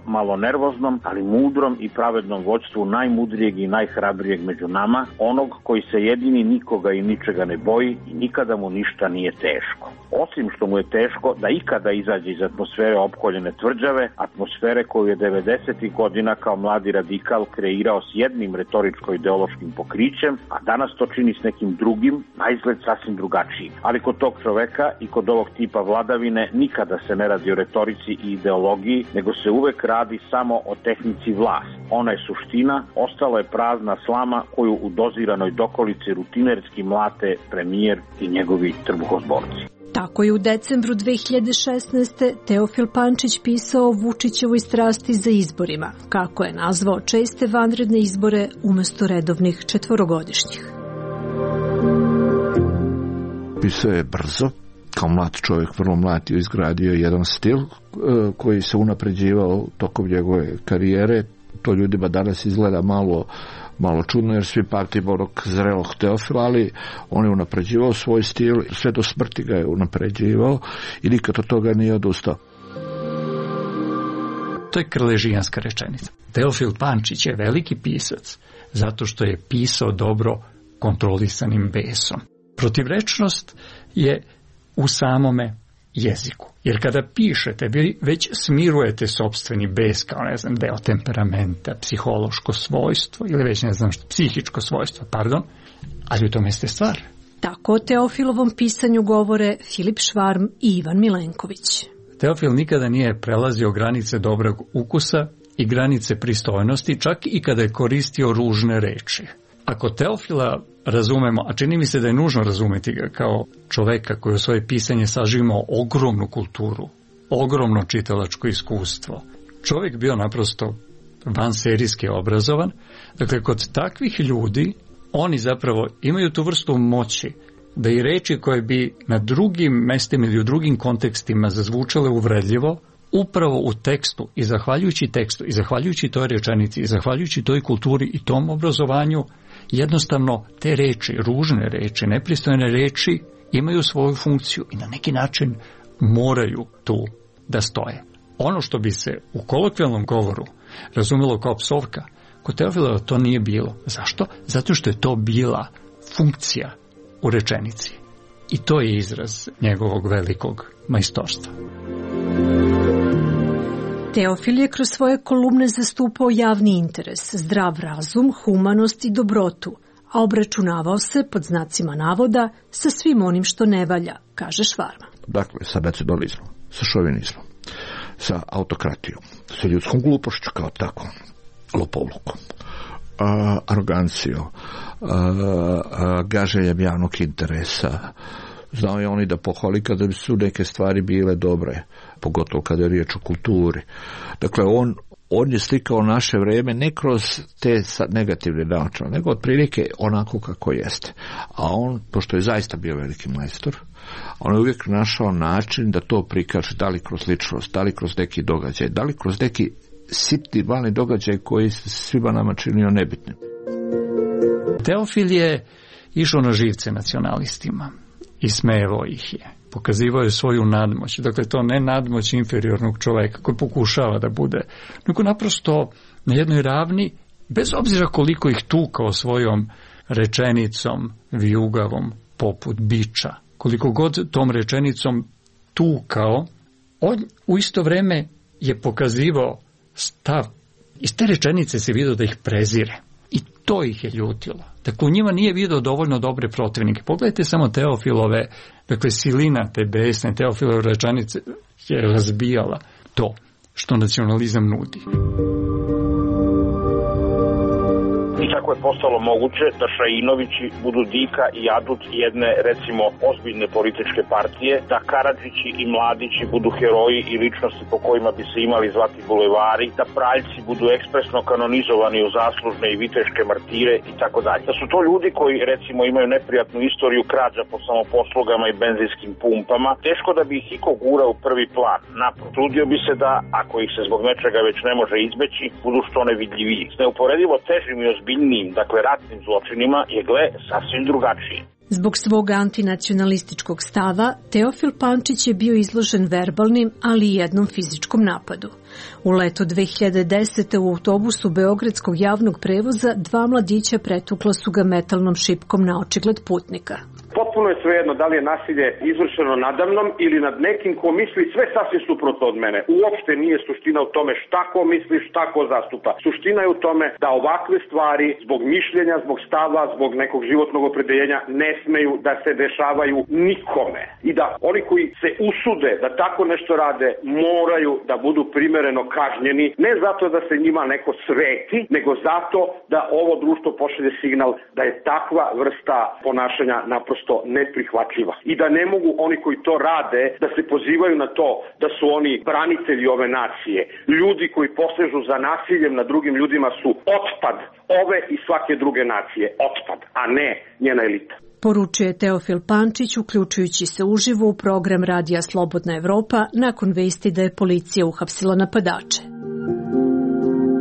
malo nervoznom, ali mudrom i pravednom vođstvu najmudrijeg i najhrabrijeg među nama, onog koji se jedini nikoga i ničega ne boji i nikada mu ništa nije teško. Osim što mu je teško da ikada izađe iz atmosfere opkoljene tvrđave, atmosfere koju je 90. godina kao mladi radikal kreirao s jednim retoričko-ideološkim pokrićem, a danas to čini s nekim drugim, naizgled sasvim drugačijim. Ali kod tog čoveka i kod ovog tipa vladavine nikada se ne radi o retorici i ideologiji, nego se uvek radi samo o tehnici vlasti. Ona je suština, ostala je prazna slama koju u doziranoj dokolici rutinerski mlate premijer i njegovi trbuhozborci. Tako je u decembru 2016. Teofil Pančić pisao o Vučićevoj strasti za izborima, kako je nazvao česte vanredne izbore umesto redovnih četvorogodišnjih. Pisao je brzo, kao mlad čovjek, vrlo mlad, je izgradio jedan stil koji se unapređivao tokom njegove karijere. To ljudima danas izgleda malo čudno, jer svi pamtimo onog zrelog Teofila, ali on je unapređivao svoj stil, sve do smrti ga je unapređivao i nikad od toga nije odustao. To je krležijanska rečenica. Teofil Pančić je veliki pisac zato što je pisao dobro kontrolisanim besom. Protivrečnost je u samome jeziku. Jer kada pišete, vi već smirujete sopstveni bes kao, deo temperamenta, psihološko svojstvo ili već psihičko svojstvo, ali u tome ste stvar. Tako o Teofilovom pisanju govore Filip Švarm i Ivan Milenković. Teofil nikada nije prelazio granice dobrog ukusa i granice pristojnosti, čak i kada je koristio ružne reči. Ako Teofila razumemo, a čini mi se da je nužno razumeti ga kao čoveka koji u svoje pisanje sažimao ogromnu kulturu, ogromno čitalačko iskustvo, čovjek bio naprosto vanserijski obrazovan, dakle kod takvih ljudi oni zapravo imaju tu vrstu moći da i reči koje bi na drugim mestima ili u drugim kontekstima zazvučale uvredljivo, upravo u tekstu i zahvaljujući tekstu i zahvaljujući toj rečenici i zahvaljujući toj kulturi i tom obrazovanju, jednostavno te reči, ružne reči, nepristojne reči imaju svoju funkciju i na neki način moraju tu da stoje. Ono što bi se u kolokvijalnom govoru razumelo kao psovka, kod Teofila to nije bilo. Zašto? Zato što je to bila funkcija u rečenici. I to je izraz njegovog velikog majstorstva. Teofil je kroz svoje kolumne zastupao javni interes, zdrav razum, humanost i dobrotu, a obračunavao se, pod znacima navoda, sa svim onim što ne valja, kaže Švarma. Dakle, sa nacionalizmom, sa šovinizmom, sa autokratijom, sa ljudskom glupošću kao tako, lopovlukom, arogancijom, gaženjem javnog interesa. Znao je oni da pohvali kada su neke stvari bile dobre, pogotovo kada je riječ o kulturi. Dakle, on je slikao naše vreme ne kroz te negativne načine, nego otprilike onako kako jeste. A on, pošto je zaista bio veliki majstor, on je uvijek našao način da to prikaže, da li kroz ličnost, da li kroz neki događaj, da li kroz neki sitni, mali događaj koji se svima nama činio nebitnim. Teofil je išao na živce nacionalistima i smejevao ih je. Pokazivao je svoju nadmoć. Dakle, to ne nadmoć inferiornog čoveka koji pokušava da bude, nego naprosto na jednoj ravni, bez obzira koliko ih tukao svojom rečenicom vijugavom poput biča. Koliko god tom rečenicom tukao, on u isto vreme je pokazivao stav. Iz te rečenice se vidio da ih prezire. I to ih je ljutilo. Dakle, u njima nije vidio dovoljno dobre protivnike. Pogledajte samo Teofilove, dakle, silina te besne Teofilove rečenice je razbijala to što nacionalizam nudi. I sa Kako je postalo moguće da Šainovići budu dika i adut jedne, recimo, ozbiljne političke partije, da Karadžići i Mladići budu heroji i ličnosti po kojima bi se imali zvati bulevari, da Praljci budu ekspresno kanonizovani u zaslužne i viteške martire i tako dalje. Da su to ljudi koji, recimo, imaju neprijatnu istoriju krađa po samoposlugama i benzinskim pumpama, teško da bi ih iko gura u prvi plan. Naprotiv, trudio bi se da, ako ih se zbog nečega već ne može izbeći, budu što nevidljiviji. S neuporedivo težim i ozbiljnijim, dakle ratnim zločinima, je gle sasvim drugačije. Zbog svog antinacionalističkog stava, Teofil Pančić je bio izložen verbalnim, ali i jednom fizičkom napadu. U leto 2010. u autobusu beogradskog javnog prevoza 2 mladića pretukla su ga metalnom šipkom na očigled putnika. Potpuno je svejedno da li je nasilje izvršeno nadamnom ili nad nekim ko misli sve sasvim suprotno od mene. Uopšte nije suština u tome šta ko misli, šta ko zastupa. Suština je u tome da ovakve stvari zbog mišljenja, zbog stava, zbog nekog životnog opredeljenja ne smeju da se dešavaju nikome. I da oni koji se usude da tako nešto rade moraju da budu primereno kažnjeni, ne zato da se njima neko sveti, nego zato da ovo društvo pošalje signal da je takva vrsta ponašanja naprosto neprihvatljiva. I da ne mogu oni koji to rade da se pozivaju na to da su oni branitelji ove nacije. Ljudi koji posežu za nasiljem nad drugim ljudima su otpad ove i svake druge nacije. Otpad, a ne njena elita. Poručuje Teofil Pančić, uključujući se uživo u program Radija Slobodna Evropa nakon vesti da je policija uhapsila napadače.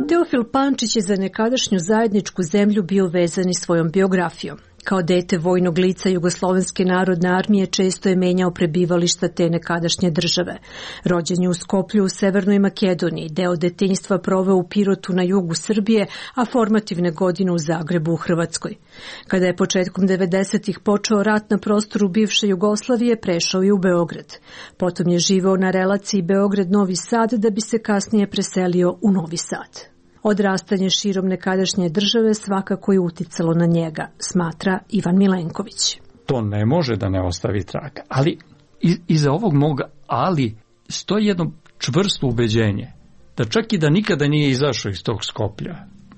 Teofil Pančić je za nekadašnju zajedničku zemlju bio vezan i svojom biografijom. Kao dete vojnog lica Jugoslovenske narodne armije često je menjao prebivališta te nekadašnje države. Rođen je u Skoplju u Severnoj Makedoniji, deo detinjstva proveo u Pirotu na jugu Srbije, a formativne godine u Zagrebu u Hrvatskoj. Kada je početkom 90-ih počeo rat na prostoru bivše Jugoslavije, prešao je u Beograd. Potom je živeo na relaciji Beograd-Novi Sad da bi se kasnije preselio u Novi Sad. Odrastanje širom nekadašnje države svakako je uticalo na njega, smatra Ivan Milenković. To ne može da ne ostavi traga, ali iza ovog moga ali stoji jedno čvrsto ubeđenje da čak i da nikada nije izašao iz tog Skoplja.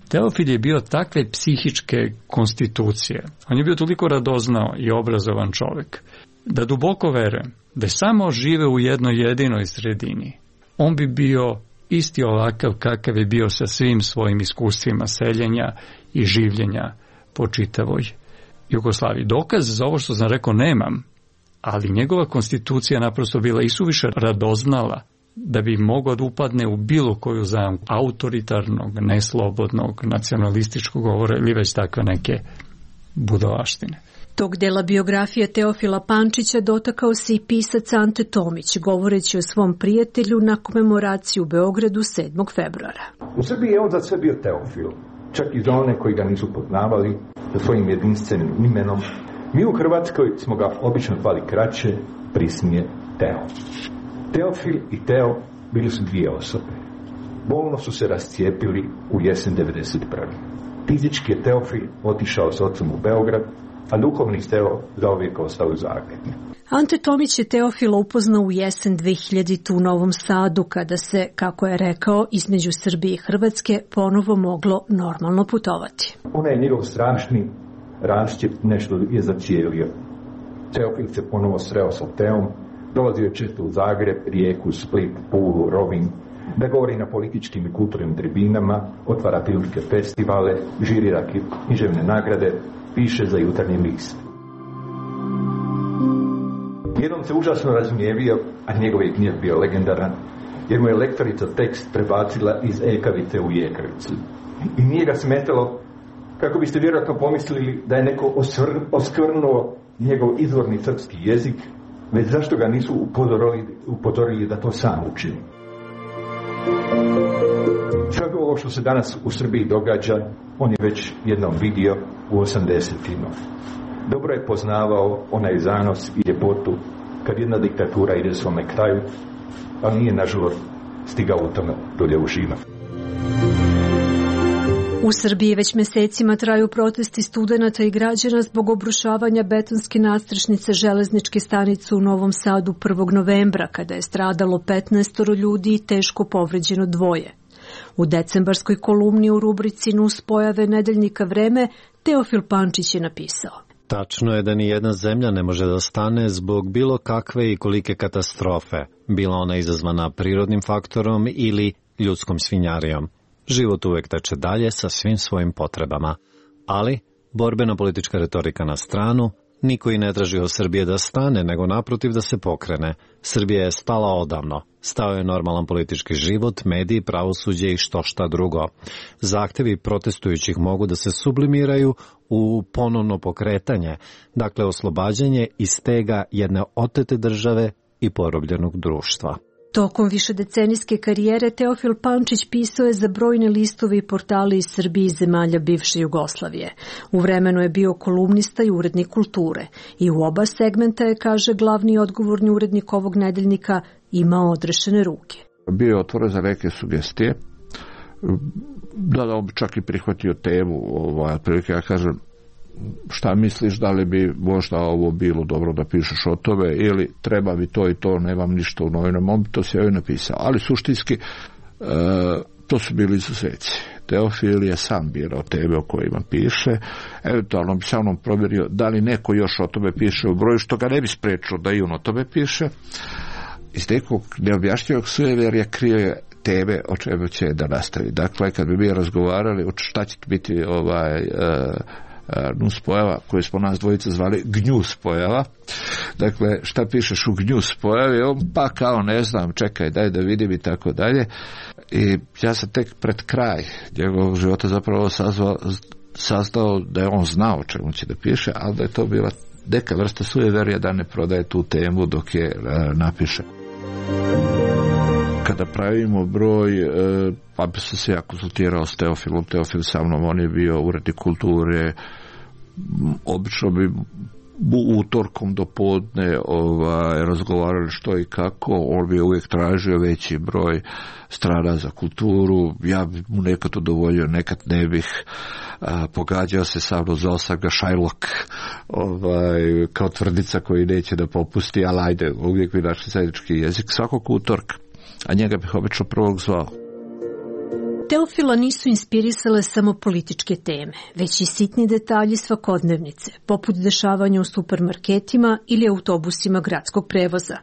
Teofil je bio takve psihičke konstitucije, on je bio toliko radoznao i obrazovan čovjek, da duboko verujem da je samo žive u jednoj jedinoj sredini. On bi bio isti ovakav kakav je bio sa svim svojim iskustvima seljenja i življenja po čitavoj Jugoslaviji. Dokaz za ovo što sam rekao nemam, ali njegova konstitucija naprosto bila isuviše radoznala da bi mogao da upadne u bilo koju zamku autoritarnog, neslobodnog, nacionalističkog govora ili već takve neke budalaštine. Tog dela biografije Teofila Pančića dotakao se i pisac Ante Tomić, govoreći o svom prijatelju na komemoraciji u Beogradu 7. februara. U Srbiji je on za sve bio Teofil, čak i za one koji ga nisu poznavali, sa svojim jedinstvenim imenom. Mi u Hrvatskoj smo ga obično zvali kraće, prisnije Teo. Teofil i Teo bili su dvije osobe. Bolno su se rascijepili u jesen 1991. Fizički je Teofil otišao s ocom u Beograd, a duhovni Teo zauvijek ostao u Zagrebu. Ante Tomić je Teofila upoznao u jesen 2000 u Novom Sadu, kada se, kako je rekao, između Srbije i Hrvatske ponovo moglo normalno putovati. Onaj njegov strašni raščep nešto je zacijelio. Teofil se ponovo sreo sa Teom, dolazio je često u Zagreb, Rijeku, Split, Pulu, Rovinj, da govori na političkim i kulturnim tribinama, otvara filmske festivale, žirira književne nagrade, piše za Jutarnji list. Jednom se užasno razgnjevio, a njegov je gnjev bio legendaran, jer mu je lektorica tekst prebacila iz ekavice u jekavicu. I nije ga smetalo, kako biste vjerojatno pomislili da je neko oskvrnuo njegov izvorni srpski jezik, već zašto ga nisu upozorili da to sam učini. Sve ovo što se danas u Srbiji događa, on je već jednom vidio u 80-ima. Dobro je poznavao onaj zanos i ljepotu kad jedna diktatura ide svome kraju, ali nije nažalost stigao u tome dolje uživa. U Srbiji već mesecima traju protesti studenata i građana zbog obrušavanja betonske nadstrešnice železničke stanice u Novom Sadu 1. novembra, kada je stradalo 15 ljudi i teško povređeno 2. U decembarskoj kolumni u rubrici Nus pojave nedeljnika Vreme Teofil Pančić je napisao: Tačno je da ni jedna zemlja ne može da stane zbog bilo kakve i kolike katastrofe, bila ona izazvana prirodnim faktorom ili ljudskom svinjarijom. Život uvek teče dalje sa svim svojim potrebama. Ali, borbena politička retorika na stranu, niko i ne traži od Srbije da stane, nego naprotiv da se pokrene. Srbija je stala odavno. Stao je normalan politički život, mediji, pravosuđe i što šta drugo. Zahtevi protestujućih mogu da se sublimiraju u ponovno pokretanje, dakle oslobađanje i stega jedne otete države i porobljenog društva. Tokom višedecenijske karijere Teofil Pančić pisao je za brojne listove i portale iz Srbije i zemalja bivše Jugoslavije. U vremenu je bio kolumnista i urednik kulture i u oba segmenta je, kaže glavni odgovorni urednik ovog nedeljnika, imao odrešene ruke. Bio je otvoren za neke sugestije, da on bi čak i prihvatio temu, prilike ja kažem, šta misliš, da li bi možda ovo bilo dobro da pišeš o tome ili treba mi to i to, nemam ništa u novinama, on bi to sve napisao. Ali suštinski to su bili izuzeci. Teofil je sam birao teme o kojima piše, eventualno bi sa mnom provjerio da li neko još o tome piše u broju, što ga ne bi sprečilo da i on o tome piše. Iz nekog neobjašnjivog sujeverja krije teme o čemu će da nastavi. Dakle, kad bi mi razgovarali o šta će biti nus pojava koju smo nas dvojica zvali gnjus pojava. Dakle, šta pišeš u gnjus pojavi? On pa kao ne znam, čekaj, daj da vidim i tako dalje. I ja sam tek pred kraj njegovog života zapravo saznao da je on znao o čemu će da piše, ali da je to bila neka vrsta sujeverja da ne prodaje tu temu dok je napiše. Kada pravimo broj, pa bi se se ja konsultirao s Teofilom. Teofil sa mnom, on je bio urednik kulture, obično bi utorkom do podne razgovarali što i kako. On bi uvijek tražio veći broj strana za kulturu, ja bi mu nekad udovoljio, nekad ne bih. Pogađao se sa mnom, zvao sam ga Shylock, kao tvrdica koji neće da popusti, ali ajde, uvijek bi našli zajednički jezik svakog utorka, a njega bih obično prvog zvao. Teofila nisu inspirisale samo političke teme, već i sitni detalji svakodnevnice, poput dešavanja u supermarketima ili autobusima gradskog prevoza.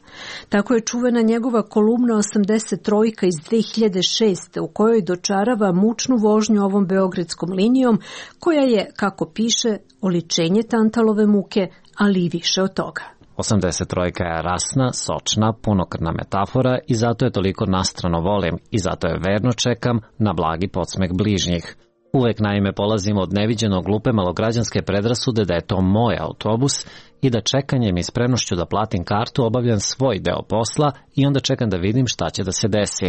Tako je čuvena njegova kolumna 83 iz 2006. u kojoj dočarava mučnu vožnju ovom beogradskom linijom, koja je, kako piše, oličenje Tantalove muke, ali i više od toga. 83 je rasna, sočna, punokrvna metafora i zato je toliko nastrano volim i zato je verno čekam na blagi podsmeh bližnjih. Uvek naime polazim od neviđeno glupe malograđanske predrasude da je to moj autobus i da čekanjem i spremnošću da platim kartu obavljam svoj deo posla i onda čekam da vidim šta će da se desi.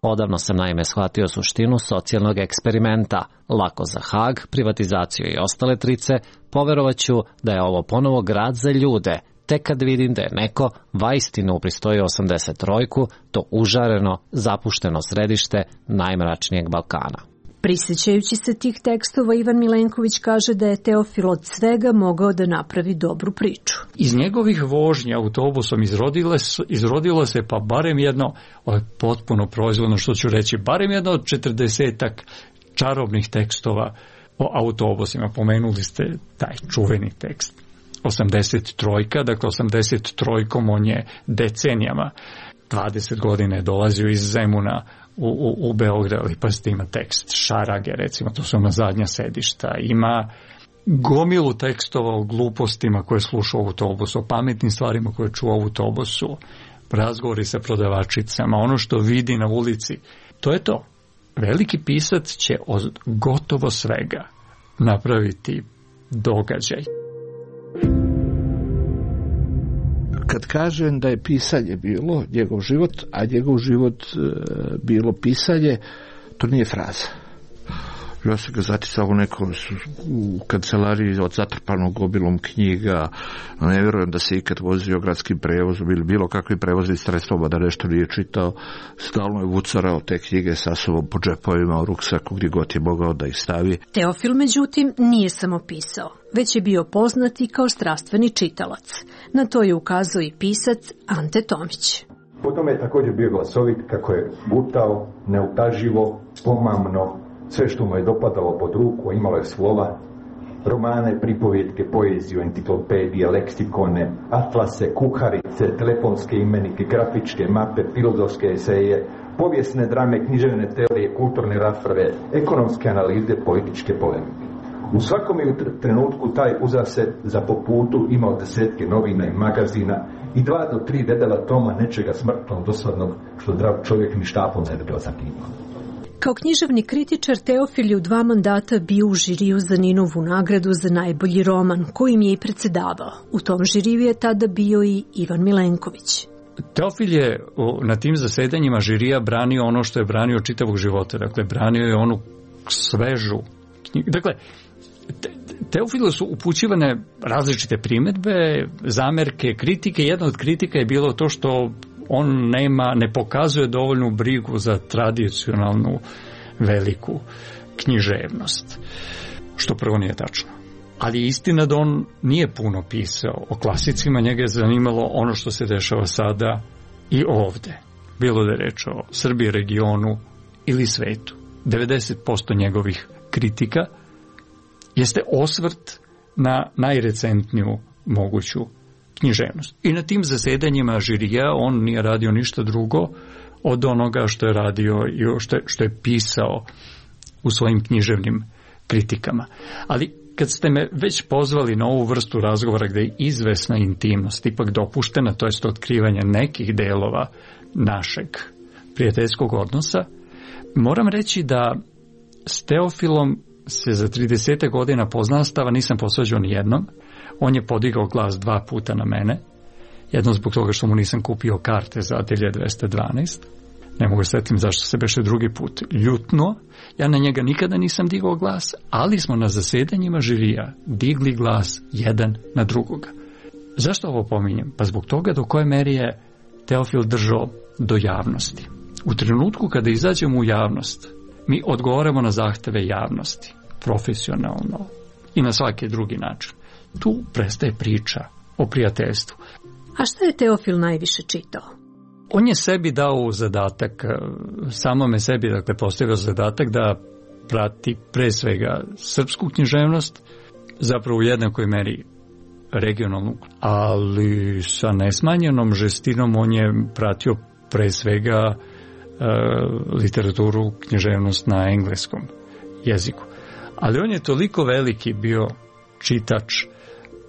Odavno sam naime shvatio suštinu socijalnog eksperimenta, lako za Hag, privatizaciju i ostale trice, poverovaću da je ovo ponovo grad za ljude, tek kad vidim da je neko vaistinu upristoji 83, to užareno, zapušteno središte najmračnijeg Balkana. Prisjećajući se tih tekstova, Ivan Milenković kaže da je Teofil od svega mogao da napravi dobru priču. Iz njegovih vožnja autobusom izrodilo se pa barem jedno, potpuno proizvodno što ću reći, barem jedno od 40-ak čarobnih tekstova o autobusima. Pomenuli ste taj čuveni tekst. 83, dakle 83 on je decenijama, 20 godina je dolazio iz Zemuna u Beograd, ali pa ste ima tekst Šarage, recimo, to su ona zadnja sedišta, ima gomilu tekstova o glupostima koje slušao u autobusu, o pametnim stvarima koje čuo u autobusu, razgovori sa prodavačicama, ono što vidi na ulici, to je to. Veliki pisac će od gotovo svega napraviti događaj. Kad kažem da je pisanje bilo njegov život, a njegov život bilo pisanje, to nije fraza. Ja sam ga zaticao u kancelariji od zatrpanog gobilom knjiga. Ne vjerujem da se ikad vozio gradskim prevozom ili bilo kakvim prevoznim sredstvom, da nešto nije čitao. Stalno je vucarao te knjige sa sobom po džepovima, u ruksaku, gdje god je mogao da ih stavi. Teofil, međutim, nije samo pisao, već je bio poznat i kao strastveni čitalac. Na to je ukazao i pisac Ante Tomić. Potom je također bio glasovit kako je gutao, neutaživo, pomamno, sve što mu je dopadalo pod ruku, imalo je slova, romane, pripovjetke, poeziju, enciklopedije, leksikone, atlase, kuharice, telefonske imenike, grafičke mape, filozofske eseje, povijesne drame, književne teorije, kulturne rasprave, ekonomske analize, političke polemike. U svakom je trenutku taj uzaset za po putu imao desetke novina i magazina i 2 do 3 dedela toma nečega smrtno dosadnog što zdrav čovjek ni štapom ne bi bio zakimao. Kao književni kritičar Teofil je u 2 mandata bio u žiriju za Ninovu nagradu za najbolji roman, kojim je i predsjedavao. U tom žiriju je tada bio i Ivan Milenković. Teofil je na tim zasedanjima žirija branio ono što je branio čitavog života. Dakle, branio je onu svežu knjigu. Dakle, Teofilu su upućivane različite primjedbe, zamerke, kritike. Jedna od kritika je bilo to što on ne pokazuje dovoljnu brigu za tradicionalnu veliku književnost, što prvo nije tačno. Ali je istina da on nije puno pisao o klasicima, njega je zanimalo ono što se dešava sada i ovde. Bilo da je reč o Srbiji, regionu ili svetu. 90% njegovih kritika jeste osvrt na najrecentniju moguću književnost. I na tim zasedanjima žirija on nije radio ništa drugo od onoga što je radio i što je pisao u svojim književnim kritikama. Ali kad ste me već pozvali na ovu vrstu razgovora gdje je izvesna intimnost ipak dopuštena, to jest otkrivanje nekih delova našeg prijateljskog odnosa, moram reći da s Teofilom se za 30 godina poznanstava nisam posvađao ni jednom. On je podigao glas 2 puta na mene. Jedno zbog toga što mu nisam kupio karte za Atelje 212. Ne mogu setim zašto se beše drugi put ljutno. Ja na njega nikada nisam digao glas, ali smo na zasedanjima žirija digli glas jedan na drugoga. Zašto ovo pominjem? Pa zbog toga do koje meri je Teofil držao do javnosti. U trenutku kada izađemo u javnost, mi odgovaramo na zahteve javnosti, profesionalno i na svaki drugi način. Tu prestaje priča o prijateljstvu. A šta je Teofil najviše čitao? On je sebi dao zadatak, samome sebi, dakle, postavio zadatak da prati pre svega srpsku književnost, zapravo u jednakoj meri regionalnu, ali sa nesmanjenom žestinom on je pratio pre svega literaturu, književnost na engleskom jeziku. Ali on je toliko veliki bio čitač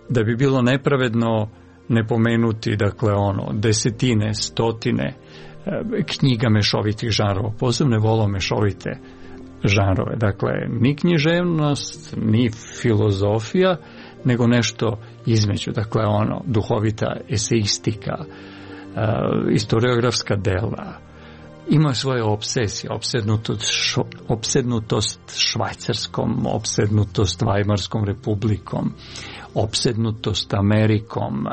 da bi bilo nepravedno ne pomenuti, dakle, desetine, stotine knjiga mešovitih žanrova. Posebno je volao mešovite žanrove. Dakle, ni književnost, ni filozofija, nego nešto između. Dakle, duhovita eseistika, historiografska dela. Ima svoje obsesije, opsednutost Švajcarskom, opsednutost Vajmarskom republikom, opsednutost Amerikom,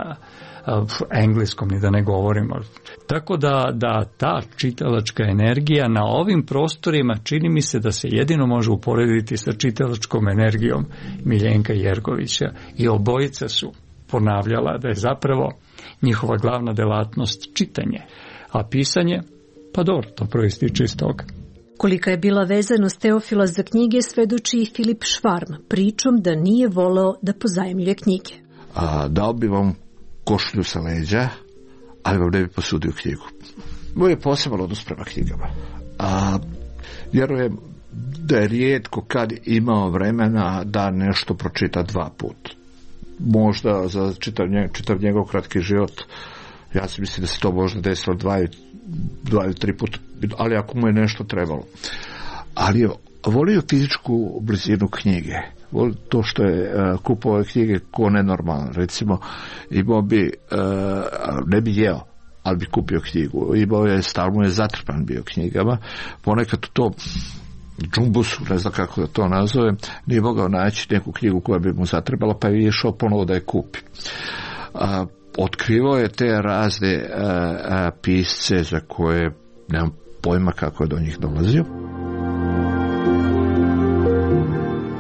engleskom, ni da ne govorimo. Tako da ta čitalačka energija na ovim prostorima čini mi se da se jedino može uporediti sa čitalačkom energijom Miljenka Jergovića i obojica su ponavljala da je zapravo njihova glavna delatnost čitanje, a pisanje, pa dobro, to proističe iz toga. Kolika je bila vezanost Teofila za knjige svedoči i Filip Švarm, pričom da nije voleo da pozajmljuje knjige. Dao bi vam košulju sa leđa, ali vam ne bi posudio knjigu. Moj je poseban odnos prema knjigama. Vjerujem da je rijetko kad imao vremena da nešto pročita 2 puta. Možda za čitav njegov kratki život, ja si mislim da se to možda desilo 2 ili 3 puta, ali ako mu je nešto trebalo. Ali je volio fizičku blizinu knjige. Volio to što je kupovao knjige ko nenormalan. Recimo, imao bi, ne bi jeo, ali bi kupio knjigu. Imao je, stalno je zatrpan bio knjigama. Ponekad to džumbusu, ne znam kako da to nazovem, nije mogao naći neku knjigu koja bi mu zatrebala, pa je išao ponovo da je kupi. Otkrivao je te razne pisce za koje nemam pojma kako je do njih dolazio.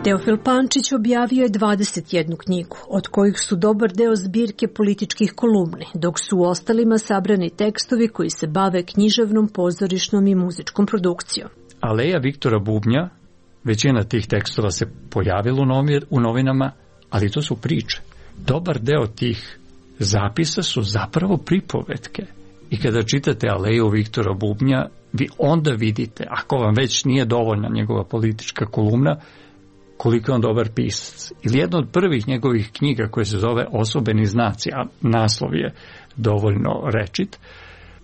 Teofil Pančić objavio je 21 knjigu, od kojih su dobar deo zbirke političkih kolumni, dok su u ostalima sabrani tekstovi koji se bave književnom, pozorišnom i muzičkom produkcijom. Aleja Viktora Bubnja, većina tih tekstova se pojavila u novinama, ali to su priče. Dobar deo tih zapisa su zapravo pripovetke. I kada čitate Aleju Viktora Bubnja, vi onda vidite, ako vam već nije dovoljna njegova politička kolumna, koliko je on dobar pisac. Ili jedna od prvih njegovih knjiga koja se zove Osobeni znaci, a naslov je dovoljno rečit,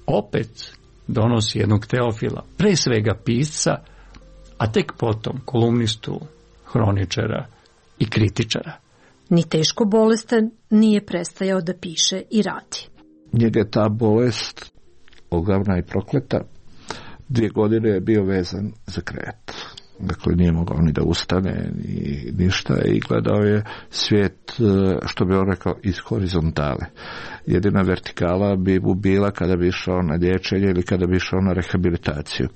opet donosi jednog Teofila, pre svega pisca, a tek potom kolumnistu, hroničara i kritičara. Ni teško bolestan nije prestajao da piše i radi. Njega je ta bolest ogavna i prokleta. 2 godine je bio vezan za krevet. Dakle, nije mogao ni da ustane, ni ništa, i gledao je svijet, što bi on rekao, iz horizontale. Jedina vertikala bi mu bila kada bi išao na liječenje ili kada bi išao na rehabilitaciju.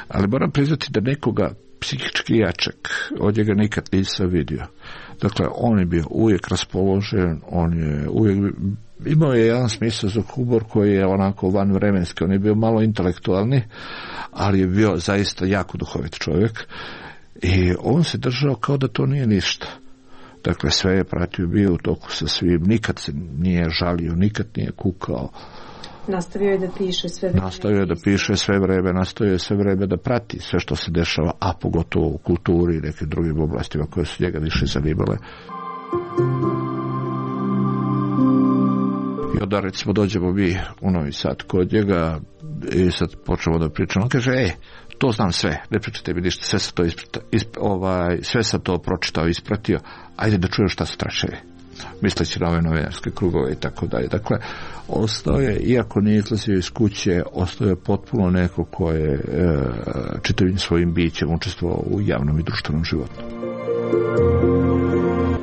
Ali moram priznati da nekoga psihički jačeg od njega nikad nisam vidio. Dakle, on je bio uvijek raspoložen, on je uvijek imao je jedan smisao za humor koji je onako vanvremenski. On je bio malo intelektualni, ali je bio zaista jako duhovit čovjek i on se držao kao da to nije ništa. Dakle, sve je pratio, bio u toku sa svim, nikad se nije žalio, nikad nije kukao. Nastavio je da piše sve vreme. Nastavio je sve vreme da prati sve što se dešava, a pogotovo u kulturi i nekim drugim oblastima koje su njega više zanimale. I onda, recimo, dođemo mi u Novi Sad kod njega i sad počnemo da pričamo. On kaže, to znam sve, ne pričate mi ništa, sve sam to pročitao, ispratio, ajde da čujem šta su tračevi. Misleći na ove novinarske krugove i tako dalje. Dakle, ostao je, iako nije izlazio iz kuće, ostao je potpuno neko ko je čitavim svojim bićem učestvovao u javnom i društvenom životu.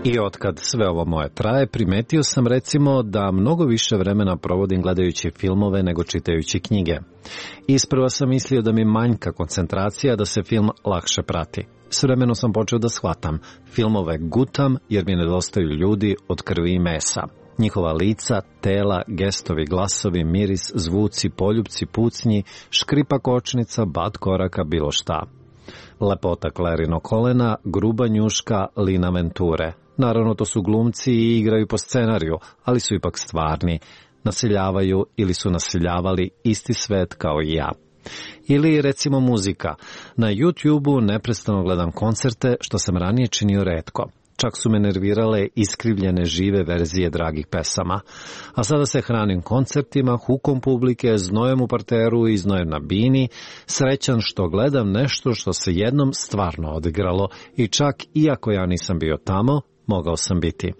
I otkad sve ovo moje traje, primetio sam recimo da mnogo više vremena provodim gledajući filmove nego čitajući knjige. Isprva sam mislio da mi manjka koncentracija, da se film lakše prati. S vremenom sam počeo da shvatam. Filmove gutam jer mi nedostaju ljudi od krvi i mesa. Njihova lica, tela, gestovi, glasovi, miris, zvuci, poljupci, pucnji, škripa kočnica, bat koraka, bilo šta. Lepota Clarino kolena, gruba njuška Lina Venture. Naravno, to su glumci i igraju po scenariju, ali su ipak stvarni. Naseljavaju ili su naseljavali isti svet kao i ja. Ili, recimo, muzika. Na YouTube-u neprestano gledam koncerte, što sam ranije činio retko. Čak su me nervirale iskrivljene žive verzije dragih pesama. A sada se hranim koncertima, hukom publike, znojem u parteru i znojem na bini, srećan što gledam nešto što se jednom stvarno odigralo i čak, iako ja nisam bio tamo, mogao sam biti.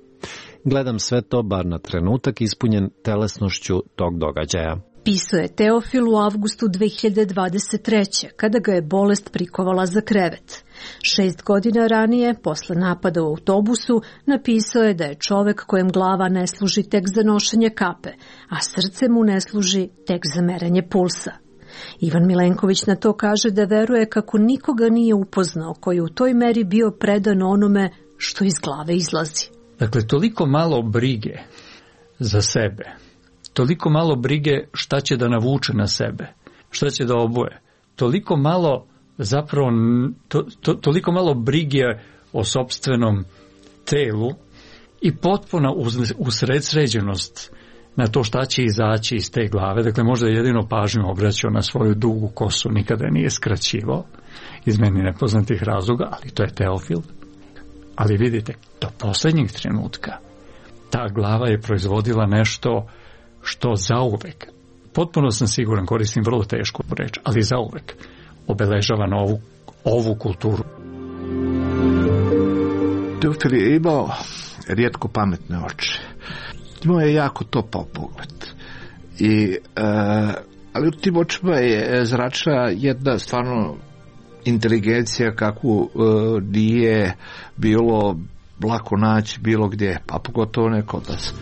Gledam sve to bar na trenutak ispunjen telesnošću tog događaja. Pisao je Teofil u avgustu 2023. kada ga je bolest prikovala za krevet. 6 godina ranije, posle napada u autobusu, napisao je da je čovek kojem glava ne služi tek za nošenje kape, a srce mu ne služi tek za merenje pulsa. Ivan Milenković na to kaže da veruje kako nikoga nije upoznao koji je u toj meri bio predan onome što iz glave izlazi. Dakle, toliko malo brige za sebe, toliko malo brige šta će da navuče na sebe, šta će da obuje, toliko malo zapravo, toliko malo brige o sopstvenom telu i potpuna usredsređenost na to šta će izaći iz te glave. Dakle, možda je jedino pažnju obraćao na svoju dugu kosu, nikada je nije skraćivao iz meni nepoznatih razloga, ali to je Teofil. Ali vidite, do posljednjeg trenutka ta glava je proizvodila nešto što zauvek, potpuno sam siguran, koristim vrlo tešku reč, ali zauvek obeležava ovu kulturu. Teofil je imao rijetko pametne oči. Imao je jako topao pogled. Ali u tim očima je zračila jedna stvarno inteligencija kakvu nije bilo lako naći bilo gdje, pa pogotovo ne kod nas.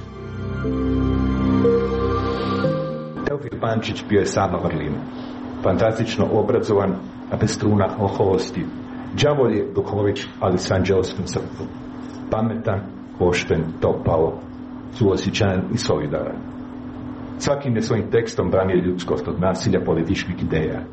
Teofil Pančić bio je sama vrlina. Fantastično obrazovan, a bez truna oholosti. Đavolj je duhovit, ali s anđelskom srcem. Pametan, pošten, topao, suosjećajan i solidaran. Svakim je svojim tekstom branio ljudskost od nasilja političkih ideja.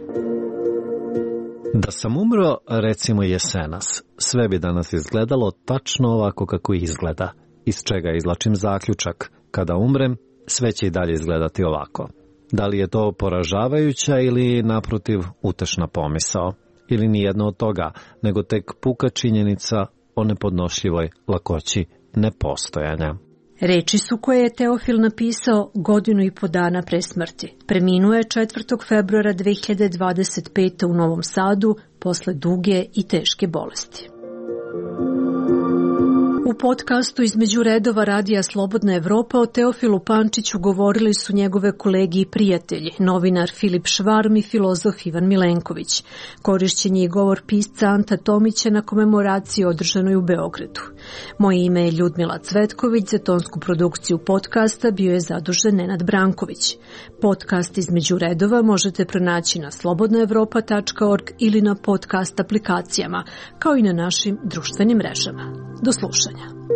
Da sam umro, recimo jesenas, sve bi danas izgledalo tačno ovako kako izgleda, iz čega izlačim zaključak. Kada umrem, sve će i dalje izgledati ovako. Da li je to poražavajuća ili, naprotiv, utešna pomisao? Ili nijedno od toga, nego tek puka činjenica o nepodnošljivoj lakoći nepostojanja. Reči su koje je Teofil napisao 1,5 dana pre smrti. Preminuo je 4. februara 2025. u Novom Sadu posle duge i teške bolesti. U podcastu Između redova Radija Slobodna Evropa o Teofilu Pančiću govorili su njegove kolege i prijatelji, novinar Filip Švarm i filozof Ivan Milenković. Korišćen je i govor pisca Anta Tomića na komemoraciji održanoj u Beogradu. Moje ime je Ljudmila Cvetković, za tonsku produkciju podcasta bio je zadužen Nenad Branković. Podcast Između redova možete pronaći na slobodnaevropa.org ili na podcast aplikacijama, kao i na našim društvenim mrežama. Do slušanja.